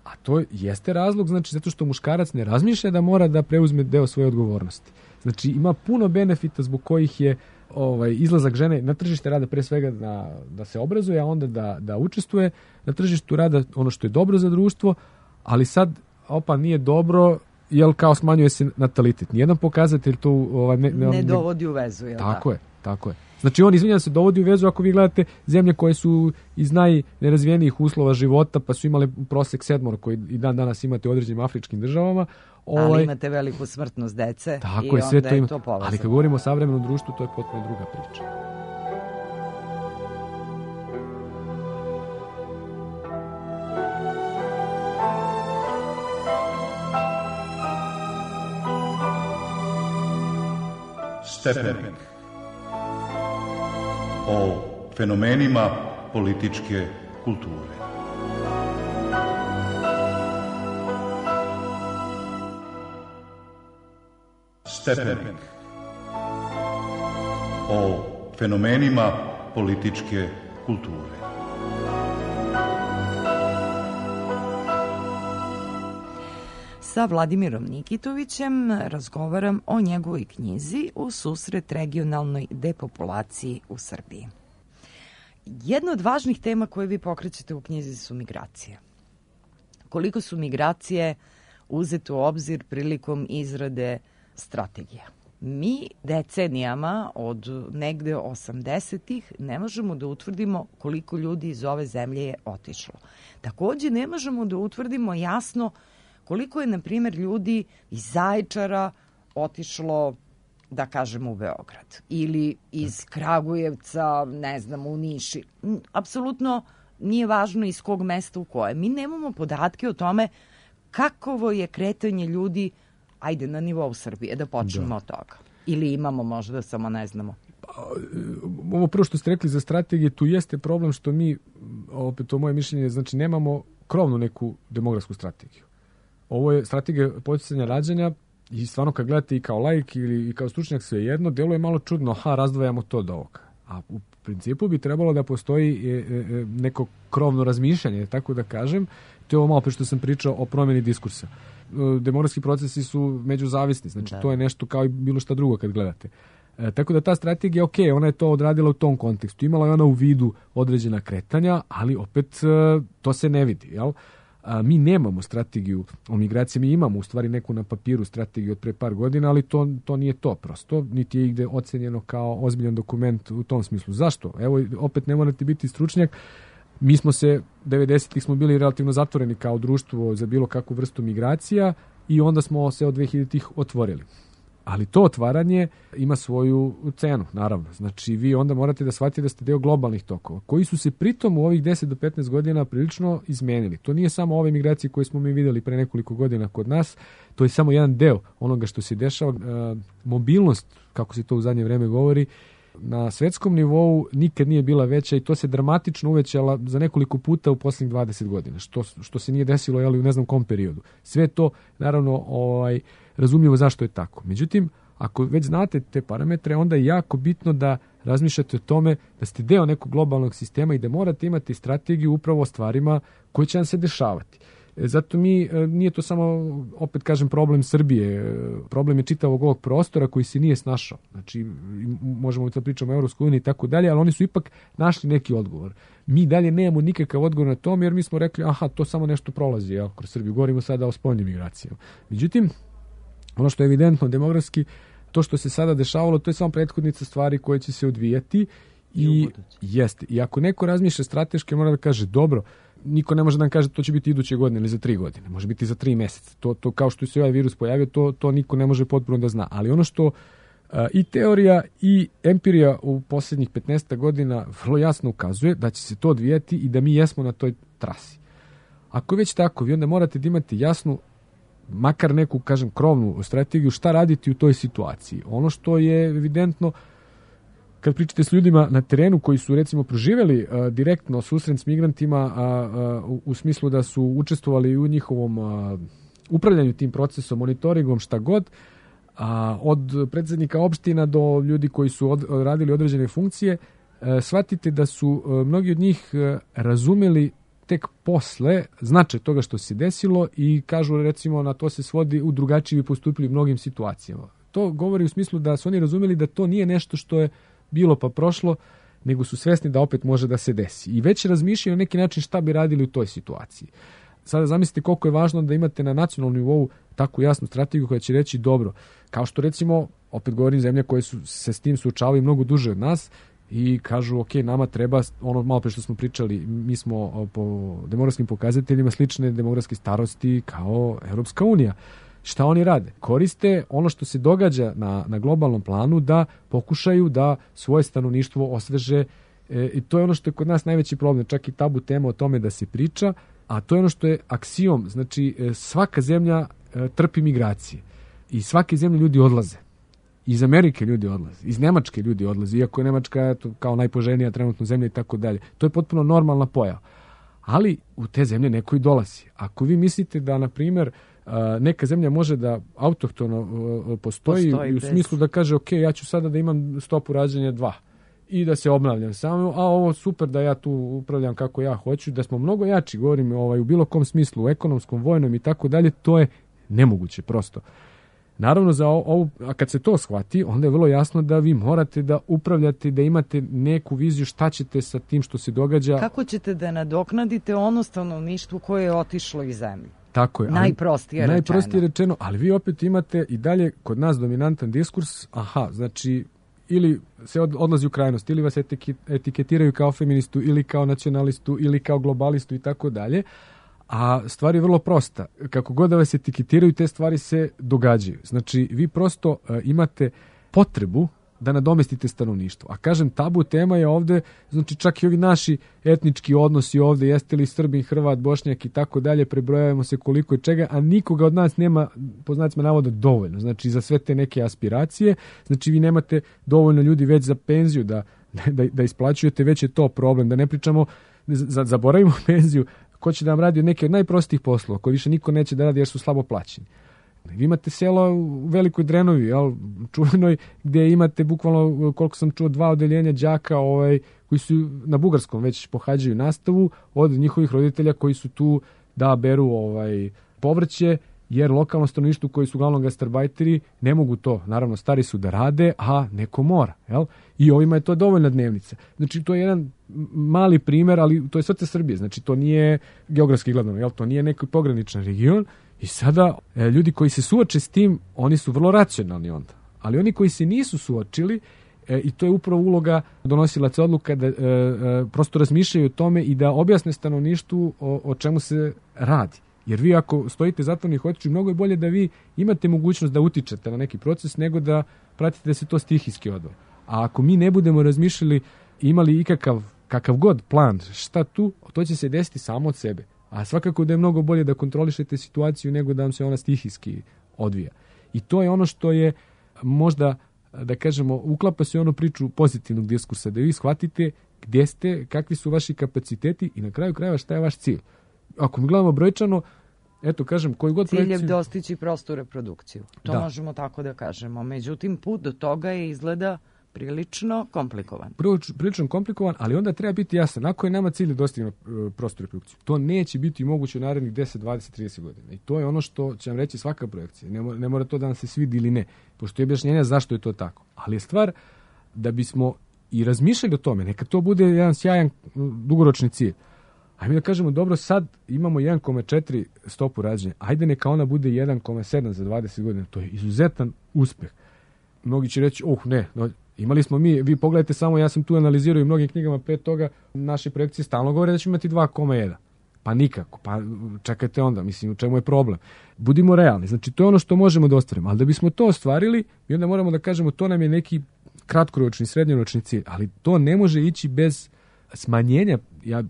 A to jeste razlog, znači zato što muškarac ne razmišlja da mora da preuzme deo svoje odgovornosti. Znači ima puno benefita zbog kojih je izlazak žene na tržište rada pre svega da se obrazuje, a onda da učestvuje na tržištu rada, ono što je dobro za društvo, ali sad nije dobro, jer kao smanjuje se natalitet. Nijedan pokazatelj to ne dovodi u vezu. Tako je. Znači on, izvinjam se, dovodi u vezu ako vi gledate zemlje koje su iz najnerazvijenijih uslova života, pa su imali prosek 7 koji i dan danas imate u određenim afričkim državama. Ali imate veliku smrtnost dece. Tako je, sve to ima. Ali kad govorimo o savremenom društvu, to je potpuno druga priča. Stepenik. O fenomenima političke kulture. Stepenik. O fenomenima političke kulture. Sa Vladimirom Nikitovićem razgovaram o njegovoj knjizi U susret regionalnoj depopulaciji u Srbiji. Jedna od važnih tema koje vi pokrećete u knjizi su migracije. Koliko su migracije uzete u obzir prilikom izrade strategije? Mi decenijama od negde 80-ih ne možemo da utvrdimo koliko ljudi iz ove zemlje je otišlo. Takođe ne možemo da utvrdimo jasno koliko je, na primjer, ljudi iz Zaječara otišlo, da kažemo, u Beograd ili iz Kragujevca, ne znam, u Niši. Apsolutno nije važno iz kog mesta u koje. Mi nemamo podatke o tome kakovo je kretanje ljudi, ajde, na nivou Srbije, da počnemo od toga. Ili imamo možda, samo ne znamo. Ovo prvo što ste rekli za strategije, tu jeste problem što mi, opet to moje mišljenje, znači nemamo krovnu neku demografsku strategiju. Ovo je strategija podsticanja rađanja i stvarno kad gledate i kao laik ili i kao stručnjak sve jedno, deluje malo čudno, razdvajamo to od ovoga. A u principu bi trebalo da postoji neko krovno razmišljanje, tako da kažem. To je ovo malo pre što sam pričao o promjeni diskursa. Demografski procesi su međuzavisni, znači to je nešto kao i bilo šta drugo kad gledate. Tako da ta strategija, ok, ona je to odradila u tom kontekstu. Imala je ona u vidu određena kretanja, ali opet to se ne vidi, jel? Mi nemamo strategiju o migraciji, mi imamo u stvari neku na papiru strategiju od pre par godina, ali to nije to prosto, niti je igde ocenjeno kao ozbiljan dokument u tom smislu. Zašto? Evo, opet ne morate biti stručnjak, mi smo se, 90-ih smo bili relativno zatvoreni kao društvo za bilo kakvu vrstu migracija i onda smo se od 2000-ih otvorili. Ali to otvaranje ima svoju cenu, naravno. Znači, vi onda morate da shvatite da ste deo globalnih tokova, koji su se pritom u ovih 10 do 15 godina prilično izmenili. To nije samo ove migracije koje smo mi videli pre nekoliko godina kod nas, to je samo jedan deo onoga što se dešava. Mobilnost, kako se to u zadnje vreme govori, na svetskom nivou nikad nije bila veća i to se dramatično uvećala za nekoliko puta u posljednjih 20 godina, što se nije desilo u ne znam kom periodu. Sve to, naravno, razumljivo zašto je tako. Međutim, ako već znate te parametre, onda je jako bitno da razmišljate o tome da ste deo nekog globalnog sistema i da morate imati strategiju upravo o stvarima koje će vam se dešavati. Zato nije to samo, opet kažem, problem Srbije, problem je čitavog ovog prostora koji se nije snašao. Znači, možemo da pričamo o Evropskoj uniji i tako dalje, ali oni su ipak našli neki odgovor. Mi dalje nemamo nikakav odgovor na tom, jer mi smo rekli, to samo nešto prolazi, kroz Srbiju. Govorimo sada o spoljnim migracijama. Međutim, ono što je evidentno demografski, to što se sada dešavalo, to je samo prethodnica stvari koje će se odvijati i jeste. I ako neko razmišlja strateški, mora da kaže, dobro, niko ne može da nam kaže to će biti iduće godine ili za 3 godine, može biti za 3 meseca. To kao što se ovaj virus pojavio, to niko ne može potpuno da zna. Ali ono što i teorija i empirija u posljednjih 15 godina vrlo jasno ukazuje da će se to odvijati i da mi jesmo na toj trasi. Ako je već tako, vi onda morate da imate jasnu, makar neku, kažem, krovnu strategiju šta raditi u toj situaciji. Ono što je evidentno, kad pričate s ljudima na terenu koji su, recimo, proživjeli direktno susret s migrantima u smislu da su učestvovali u njihovom upravljanju tim procesom, monitoringom, šta god, od predsjednika opština do ljudi koji su radili određene funkcije, shvatite da su mnogi od njih razumeli tek posle značaj toga što se desilo i kažu, recimo, na to se svodi u drugačiji postupili u mnogim situacijama. To govori u smislu da su oni razumeli da to nije nešto što je bilo pa prošlo, nego su svesni da opet može da se desi. I već razmišljaju na neki način šta bi radili u toj situaciji. Sada zamislite koliko je važno da imate na nacionalnom nivou takvu jasnu strategiju koja će reći dobro, kao što, recimo, opet govorim, zemlje koje se s tim suočavaju mnogo duže od nas i kažu, ok, nama treba, ono malo pre što smo pričali, mi smo po demografskim pokazateljima slične demografske starosti kao Evropska unija. Šta oni rade? Koriste ono što se događa na globalnom planu da pokušaju da svoje stanovništvo osveže i to je ono što je kod nas najveći problem, čak i tabu tema o tome da se priča, a to je ono što je aksiom, znači svaka zemlja trpi migracije i svake zemlje ljudi odlaze. Iz Amerike ljudi odlaze, iz Nemačke ljudi odlaze, iako je Nemačka kao najpoželjnija trenutno zemlja i tako dalje. To je potpuno normalna pojava. Ali u te zemlje neko i dolazi. Ako vi mislite da, na primjer, neka zemlja može da autohtono postoji u smislu da kaže, ok, ja ću sada da imam stopu rađanja 2 i da se obnavljam samo, a ovo super da ja tu upravljam kako ja hoću, da smo mnogo jači, govorim u bilo kom smislu, u ekonomskom, vojnom i tako dalje, to je nemoguće prosto. Naravno, za ovo, a kad se to shvati, onda je vrlo jasno da vi morate da upravljate, da imate neku viziju šta ćete sa tim što se događa. Kako ćete da nadoknadite ono stanovništvo koje je otišlo iz zemlje? Tako je. Najprostije rečeno, ali vi opet imate i dalje kod nas dominantan diskurs, znači ili se odlazi u krajnost, ili vas etiketiraju kao feministu, ili kao nacionalistu, ili kao globalistu i tako dalje. A stvar je vrlo prosta. Kako god da vas etiketiraju, te stvari se događaju. Znači, vi prosto imate potrebu da nadomestite stanovništvo. A kažem, tabu tema je ovde, znači čak i ovi naši etnički odnosi ovde, jeste li Srbin, Hrvat, Bošnjak i tako dalje, prebrojavamo se koliko i čega, a nikoga od nas nema, po znacima navoda, dovoljno. Znači, za sve te neke aspiracije, znači vi nemate dovoljno ljudi već za penziju da isplaćujete, već je to problem. Da ne pričamo, zaboravimo penziju, ko će da vam radi od neke od najprostijih poslova, koji više niko neće da radi jer su slabo plaćeni. Vi imate selo u Velikoj Drenovi, čuvenoj, gdje imate bukvalno, koliko sam čuo, 2 odeljenja đaka koji su na bugarskom već pohađaju nastavu od njihovih roditelja koji su tu da beru povrće, jer lokalno stanovništvo koji su uglavnom gastarbajteri ne mogu to, naravno stari su da rade, a neko mora. I ovima je to dovoljna dnevnica. Znači to je jedan mali primer, ali to je srce Srbije, znači to nije geografski gledano, to nije neki pograničan region. I sada ljudi koji se suoče s tim, oni su vrlo racionalni onda. Ali oni koji se nisu suočili, i to je upravo uloga donosilaca odluka, da prosto razmišljaju o tome i da objasne stanovništvu o čemu se radi. Jer vi ako stojite zatvornih očiju, mnogo je bolje da vi imate mogućnost da utičete na neki proces nego da pratite da se to stihijski odvija. A ako mi ne budemo razmišljali, imali kakav god plan, šta tu, to će se desiti samo od sebe. A svakako da je mnogo bolje da kontrolišete situaciju nego da vam se ona stihijski odvija. I to je ono što je možda, da kažemo, uklapa se onu priču pozitivnog diskursa, da vi shvatite gdje ste, kakvi su vaši kapaciteti i na kraju krajeva šta je vaš cilj. Ako mi gledamo brojčano, eto kažem, koji god projekciju... Cilj je dostići prostu reprodukciju. To možemo tako da kažemo. Međutim, put do toga je izgleda prilično komplikovan. Prilično komplikovan, ali onda treba biti jasan. Ako je nama cilj da dostignemo prostu reprodukciju, to neće biti moguće u narednih 10, 20, 30 godina. I to je ono što će vam reći svaka projekcija. Ne mora to da nam se svidi ili ne, pošto je objašnjenja zašto je to tako. Ali je stvar da bismo i razmišljali o tome, neka to bude jedan sjajan dugoročni cilj. Ajde da kažemo, dobro, sad imamo 1,4 stopu rađanja, ajde neka ona bude 1,7 za 20 godina. To je izuzetan uspeh. Mnogi će reći, imali smo vi pogledajte samo, ja sam tu analizirao i mnogim knjigama pre toga, naše projekcije stalno govore da ćemo imati 2,1. Pa nikako, pa čekajte onda, mislim, u čemu je problem? Budimo realni, znači to je ono što možemo da ostvarimo, ali da bismo to ostvarili, mi onda moramo da kažemo, to nam je neki kratkoročni, srednjoročni cilj, ali to ne može ići bez smanjenja,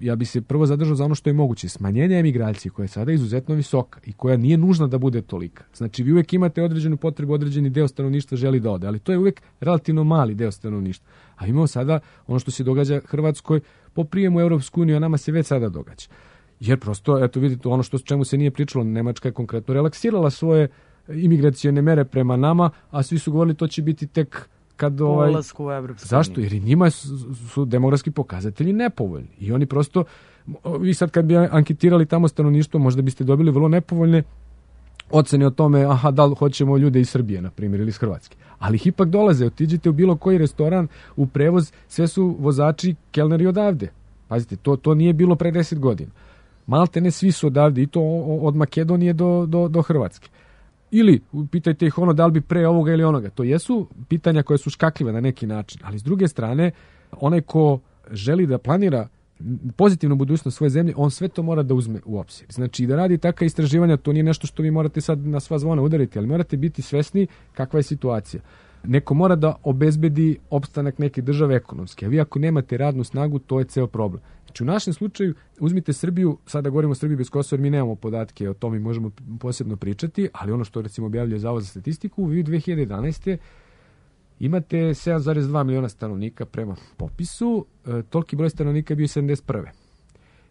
ja bi se prvo zadržao za ono što je moguće, smanjenja emigracije koja je sada izuzetno visoka i koja nije nužna da bude tolika. Znači vi uvijek imate određenu potrebu, određeni deo stanovništva želi da ode, ali to je uvijek relativno mali deo stanovništva. A imamo sada ono što se događa Hrvatskoj po prijemu u Europsku uniju, a nama se već sada događa. Jer prosto, eto vidite, ono čemu se nije pričalo, Nemačka je konkretno relaksirala svoje imigracione mere prema nama, a svi su govorili to će biti tek kad ulasku u Evropsku uniju. Zašto? Jer i njima su demografski pokazatelji nepovoljni. I oni prosto, vi sad kad bi anketirali tamo stanovništvo, možda biste dobili vrlo nepovoljne ocene o tome, da li hoćemo ljude iz Srbije, na primjer, ili iz Hrvatske. Ali ih ipak dolaze, otiđite u bilo koji restoran, u prevoz, sve su vozači, kelneri odavde. Pazite, to nije bilo pre 10 godina. Malte ne svi su odavde, i to od Makedonije do Hrvatske. Ili pitajte ih da li bi pre ovoga ili onoga. To jesu pitanja koje su škakljive na neki način, ali s druge strane, onaj ko želi da planira pozitivnu budućnost svoje zemlje, on sve to mora da uzme u obzir. Znači, da radi takva istraživanja, to nije nešto što vi morate sad na sva zvona udariti, ali morate biti svesni kakva je situacija. Neko mora da obezbedi opstanak neke države ekonomski, a vi ako nemate radnu snagu, to je ceo problem. Znači, u našem slučaju, uzmite Srbiju, sada govorimo o Srbiji bez Kosova, jer mi nemamo podatke o tome i možemo posebno pričati, ali ono što recimo objavljuje Zavod za statistiku, vi u 2011. imate 7,2 miliona stanovnika prema popisu, toliki broj stanovnika je bio 71.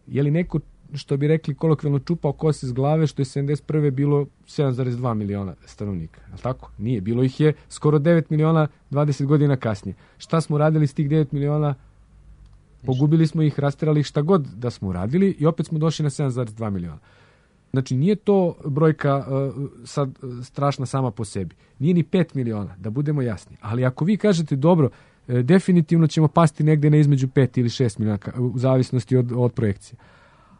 Je li neko, što bi rekli kolokvijalno, čupao kose s glave, što je 71. bilo 7,2 miliona stanovnika? Je li tako? Nije. Bilo ih je skoro 9 miliona 20 godina kasnije. Šta smo radili s tih 9 miliona? Pogubili smo ih, rasterali ih, šta god da smo uradili i opet smo došli na 7,2 miliona. Znači, nije to brojka sad strašna sama po sebi. Nije ni 5 miliona, da budemo jasni. Ali ako vi kažete, dobro, definitivno ćemo pasti negde na između 5 ili 6 miliona, u zavisnosti od projekcije.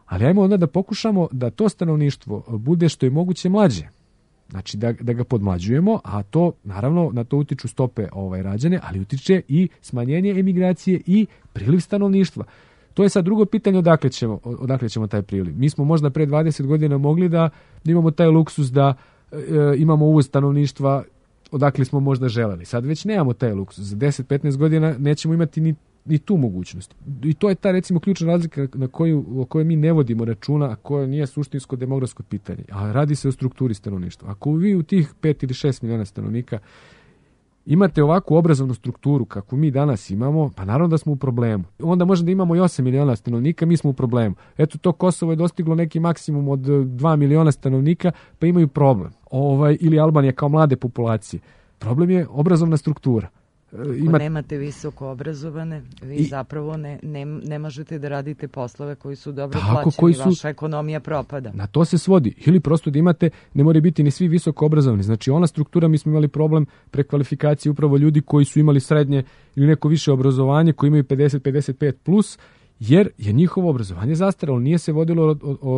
Ali ajmo onda da pokušamo da to stanovništvo bude što je moguće mlađe. Znači da ga podmlađujemo, a to naravno na to utiču stope rađanja, ali utiče i smanjenje emigracije i priliv stanovništva. To je sad drugo pitanje odakle ćemo taj priliv. Mi smo možda pre 20 godina mogli da imamo taj luksus da imamo uvoz stanovništva odakle smo možda želeli. Sad već nemamo taj luksus. Za 10-15 godina nećemo imati ni tu mogućnost. I to je ta recimo ključna razlika o kojoj mi ne vodimo računa, a koja nije suštinsko demografsko pitanje. A radi se o strukturi stanovništva. Ako vi u tih 5 ili 6 miliona stanovnika imate ovakvu obrazovnu strukturu kakvu mi danas imamo, pa naravno da smo u problemu. Onda možemo da imamo i 8 miliona stanovnika, mi smo u problemu. Eto, to Kosovo je dostiglo neki maksimum od 2 miliona stanovnika, pa imaju problem. Ili Albanija kao mlade populacije. Problem je obrazovna struktura. Ako nemate visoko obrazovane, vi zapravo ne možete da radite poslove koji su dobro plaćeni, vaša ekonomija propada. Na to se svodi. Ili prosto da imate, ne moraju biti ni svi visoko obrazovani. Znači ona struktura, mi smo imali problem prekvalifikacije upravo ljudi koji su imali srednje ili neko više obrazovanje, koji imaju 50-55 plus, jer je njihovo obrazovanje zastaralo. Nije se vodilo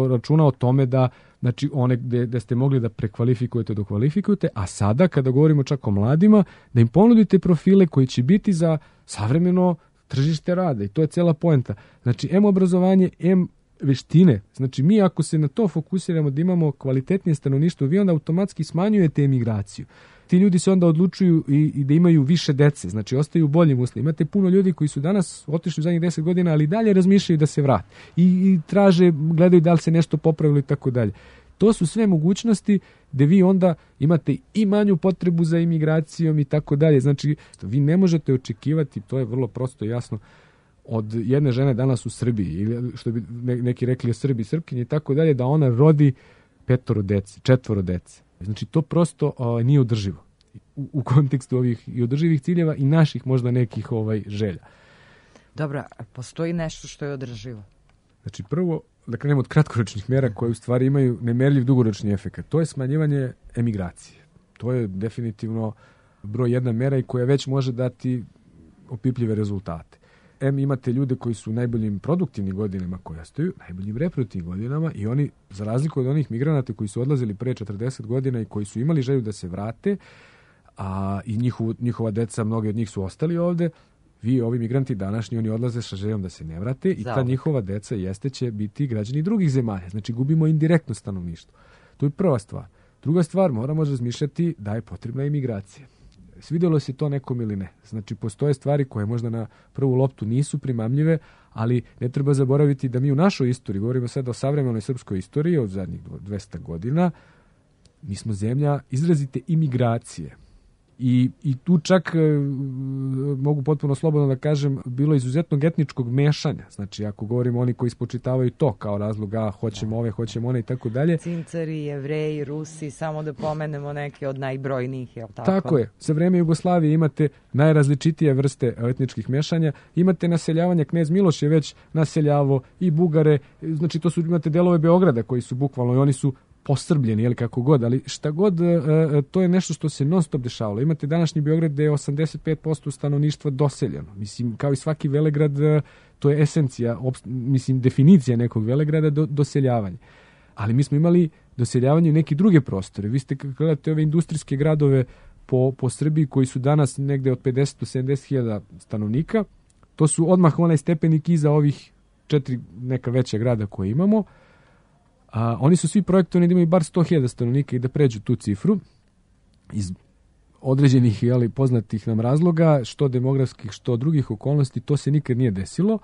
računa o tome da, znači, one gde ste mogli da prekvalifikujete, dokvalifikujete, a sada, kada govorimo čak o mladima, da im ponudite profile koji će biti za savremeno tržište rada. I to je cela poenta. Znači, M obrazovanje, M veštine. Znači, mi ako se na to fokusiramo da imamo kvalitetnije stanovništvo, vi onda automatski smanjujete emigraciju. Ti ljudi se onda odlučuju i da imaju više dece, znači ostaju u boljim uslovima. Imate puno ljudi koji su danas otišli u zadnjih 10 godina, ali dalje razmišljaju da se vrate. I traže, gledaju da li se nešto popravilo i tako dalje. To su sve mogućnosti gde vi onda imate i manju potrebu za imigracijom i tako dalje. Znači, vi ne možete očekivati, to je vrlo prosto i jasno, od jedne žene danas u Srbiji, ili što bi neki rekli o Srbiji, Srpkinji i tako dalje, da ona rodi 4 dece. Znači, to prosto nije održivo u kontekstu ovih i održivih ciljeva i naših možda nekih želja. Dobro, postoji nešto što je održivo? Znači, prvo, da krenemo od kratkoročnih mera koje u stvari imaju nemerljiv dugoročni efekt. To je smanjivanje emigracije. To je definitivno broj jedna mera i koja već može dati opipljive rezultate. Imate ljude koji su u najboljim produktivnim godinama koji ostaju, najboljim reproduktivnim godinama i oni, za razliku od onih migranata koji su odlazili pre 40 godina i koji su imali želju da se vrate, i njihova deca, mnogi od njih su ostali ovde, ovi migranti današnji, oni odlaze sa željom da se ne vrate i ta njihova deca će biti građani drugih zemalja. Znači, gubimo indirektno stanovništvo. To je prva stvar. Druga stvar, moramo razmišljati da je potrebna imigracija. Svidjelo se to nekom ili ne. Znači, postoje stvari koje možda na prvu loptu nisu primamljive, ali ne treba zaboraviti da mi u našoj istoriji, govorimo sad o savremenoj srpskoj istoriji od zadnjih 200 godina, mi smo zemlja izrazite imigracije. I tu čak mogu potpuno slobodno da kažem, bilo izuzetnog etničkog mešanja. Znači, ako govorimo oni koji spočitavaju to kao razlog, hoćemo ove, hoćemo one i tako dalje. Cincari, Jevreji, Rusi, samo da pomenemo neke od najbrojnijih, je li tako? Tako je. Za vreme Jugoslavije imate najrazličitije vrste etničkih mešanja. Imate naseljavanje, knez Miloš je već naseljavao i Bugare. Znači, imate delove Beograda koji su bukvalno i oni su posrbljeni, ili kako god, ali šta god, to je nešto što se non stop dešavalo. Imate današnji Beograd gde je 85% stanovništva doseljeno. Mislim, kao i svaki velegrad, to je esencija, definicija nekog velegrada, doseljavanje. Ali mi smo imali doseljavanje u neki druge prostore. Vi ste gledate ove industrijske gradove po Srbiji koji su danas negde od 50 do 70 hiljada stanovnika. To su odmah onaj stepenik iza ovih 4 neka veća grada koje imamo. Oni su svi projektovani da imaju bar 100.000 stanovnika i da pređu tu cifru iz određenih poznatih nam razloga, što demografskih, što drugih okolnosti, to se nikad nije desilo,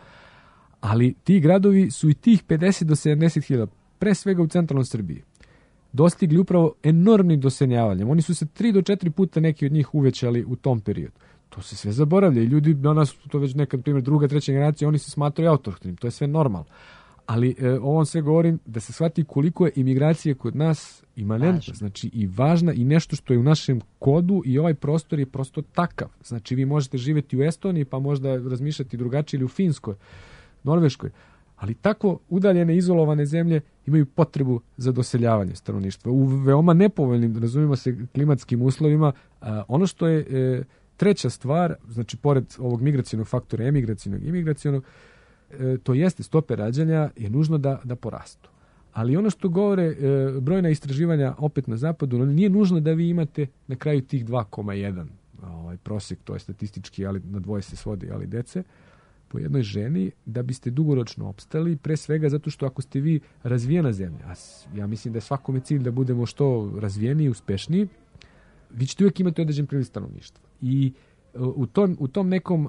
ali ti gradovi su i tih 50 do 70.000, pre svega u centralnoj Srbiji, dostigli upravo enormnim doseljavanjem. Oni su se 3 do 4 puta neki od njih uvećali u tom periodu. To se sve zaboravlja i ljudi danas, to već nekad primjer druga, treća generacija, oni se smatraju autohtonim, to je sve normalno. Ali ovom sve govorim da se shvati koliko je imigracija kod nas imanentna, znači i važna i nešto što je u našem kodu i ovaj prostor je prosto takav. Znači vi možete živjeti u Estoniji pa možda razmišljati drugačije ili u Finskoj, Norveškoj, ali tako udaljene, izolovane zemlje imaju potrebu za doseljavanje stanovništva. U veoma nepovoljnim, razumijemo se, klimatskim uslovima. Ono što je treća stvar, znači pored ovog migracionog faktora, emigracionog, to jeste, stope rađanja je nužno da porastu. Ali ono što govore brojna istraživanja opet na zapadu, nije nužno da vi imate na kraju tih 2,1 prosjek, to je statistički, ali na dvoje se svodi, ali dece, po jednoj ženi, da biste dugoročno opstali, pre svega zato što ako ste vi razvijena zemlja, a ja mislim da je svakome cilj da budemo što razvijeniji i uspešniji, vi ćete uvijek imati određen priliv stanovništva. I u tom nekom,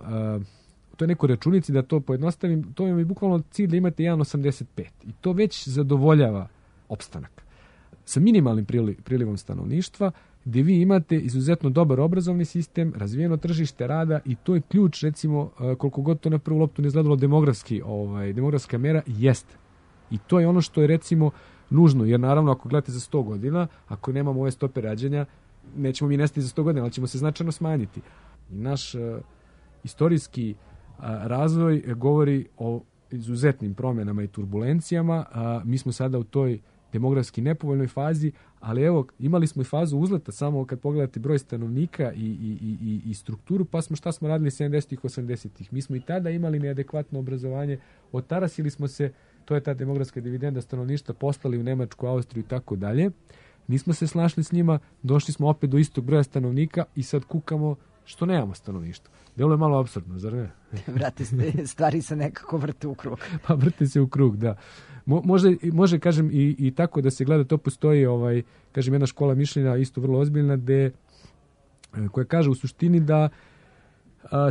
u toj nekoj računici, da to pojednostavim, to je bukvalno cilj da imate 1,85. I to već zadovoljava opstanak. Sa minimalnim prilivom stanovništva, gdje vi imate izuzetno dobar obrazovni sistem, razvijeno tržište rada i to je ključ, recimo, koliko god to na prvu loptu ne izgledalo demografska mera, jeste. I to je ono što je, recimo, nužno, jer naravno ako gledate za 100 godina, ako nemamo ove stope rađanja, nećemo mi nestati za 100 godina, ali ćemo se značajno smanjiti. I naš istorijski razvoj govori o izuzetnim promjenama i turbulencijama. Mi smo sada u toj demografski nepovoljnoj fazi, ali evo, imali smo i fazu uzleta, samo kad pogledate broj stanovnika i strukturu, pa šta smo radili 70-ih, 80-ih. Mi smo i tada imali neadekvatno obrazovanje, otarasili smo se, to je ta demografska dividenda stanovništva, poslali u Nemačku, Austriju i tako dalje. Nismo se snašli s njima, došli smo opet do istog broja stanovnika i sad kukamo što nemamo stanovništva. Delo je malo apsurdno, zar ne? Vrate, stvari se nekako vrte u krug. Pa vrte se u krug, da. Može, kažem, i tako da se gleda, to postoji, kažem, jedna škola mišljenja, isto vrlo ozbiljna, koja kaže u suštini da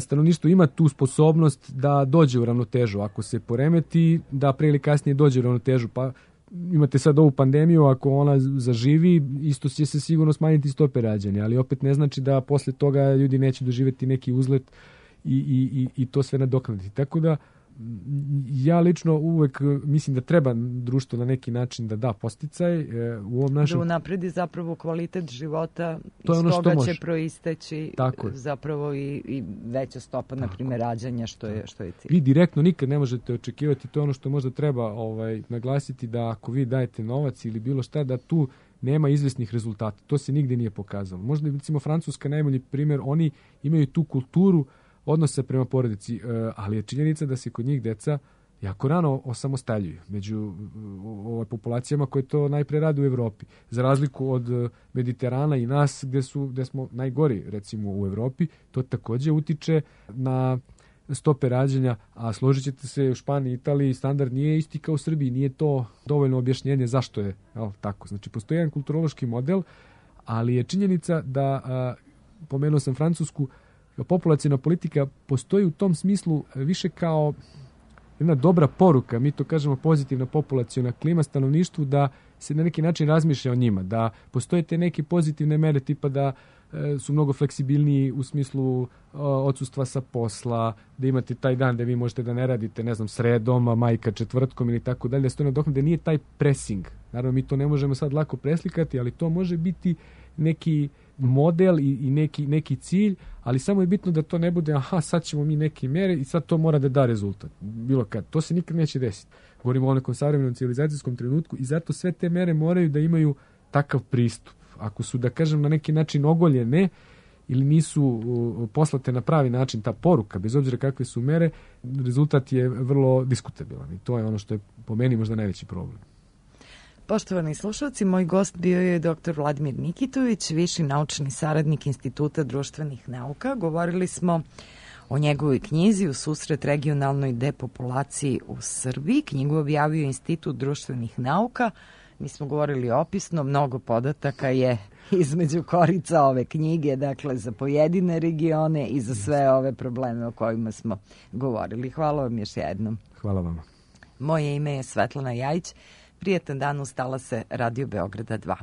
stanovništvo ima tu sposobnost da dođe u ravnotežu. Ako se poremeti, da pre ili kasnije dođe u ravnotežu. Pa imate sad ovu pandemiju, ako ona zaživi, isto će se sigurno smanjiti stope rađanja, ali opet ne znači da posle toga ljudi neće doživjeti neki uzlet i to sve nadoknaditi. Tako da ja lično uvek mislim da treba društvo na neki način da da podsticaj u ovom našem... Da unapredi zapravo kvalitet života, iz toga će proisteći zapravo i veća stopa, na primjer, rađanja, što je cilj. Vi direktno nikad ne možete očekivati, to je ono što možda treba naglasiti, da ako vi dajete novac ili bilo šta, da tu nema izvesnih rezultata. To se nigdje nije pokazalo. Možda, recimo, Francuska najbolji primjer, oni imaju tu kulturu odnosa prema porodici, ali je činjenica da se kod njih deca jako rano osamostaljuju među populacijama koje to najpre rade u Evropi. Za razliku od Mediterana i nas, gdje smo najgori, recimo, u Evropi, to također utiče na stope rađanja, a složit ćete se, u Španiji, Italiji standard nije isti kao u Srbiji, nije to dovoljno objašnjenje zašto je tako. Znači, postoji jedan kulturološki model, ali je činjenica da, pomenuo sam Francusku, populacijna politika postoji u tom smislu više kao jedna dobra poruka, mi to kažemo pozitivna populacijna klima stanovništvu, da se na neki način razmišlja o njima, da postoje te neke pozitivne mere tipa da su mnogo fleksibilniji u smislu odsustva sa posla, da imate taj dan da vi možete da ne radite, ne znam, sredom, a majka četvrtkom ili tako dalje, da se to nadoknadi, da nije taj pressing. Naravno, mi to ne možemo sad lako preslikati, ali to može biti neki model i neki cilj, ali samo je bitno da to ne bude sad ćemo mi neke mere i sad to mora da da rezultat. Bilo kad. To se nikad neće desiti. Govorimo o nekom savremenom civilizacijskom trenutku i zato sve te mere moraju da imaju takav pristup. Ako su, da kažem, na neki način ogoljene ili nisu poslate na pravi način ta poruka, bez obzira kakve su mere, rezultat je vrlo diskutabilan i to je ono što je po meni možda najveći problem. Poštovani slušalci, moj gost bio je dr. Vladimir Nikitović, viši naučni saradnik Instituta društvenih nauka. Govorili smo o njegovoj knjizi U susret regionalnoj depopulaciji u Srbiji. Knjigu objavio Institut društvenih nauka. Mi smo govorili opisno, mnogo podataka je između korica ove knjige, dakle za pojedine regione i za sve ove probleme o kojima smo govorili. Hvala vam još jednom. Hvala vama. Moje ime je Svetlana Jajić. Prijetan dan, ustala se Radio Beograda 2.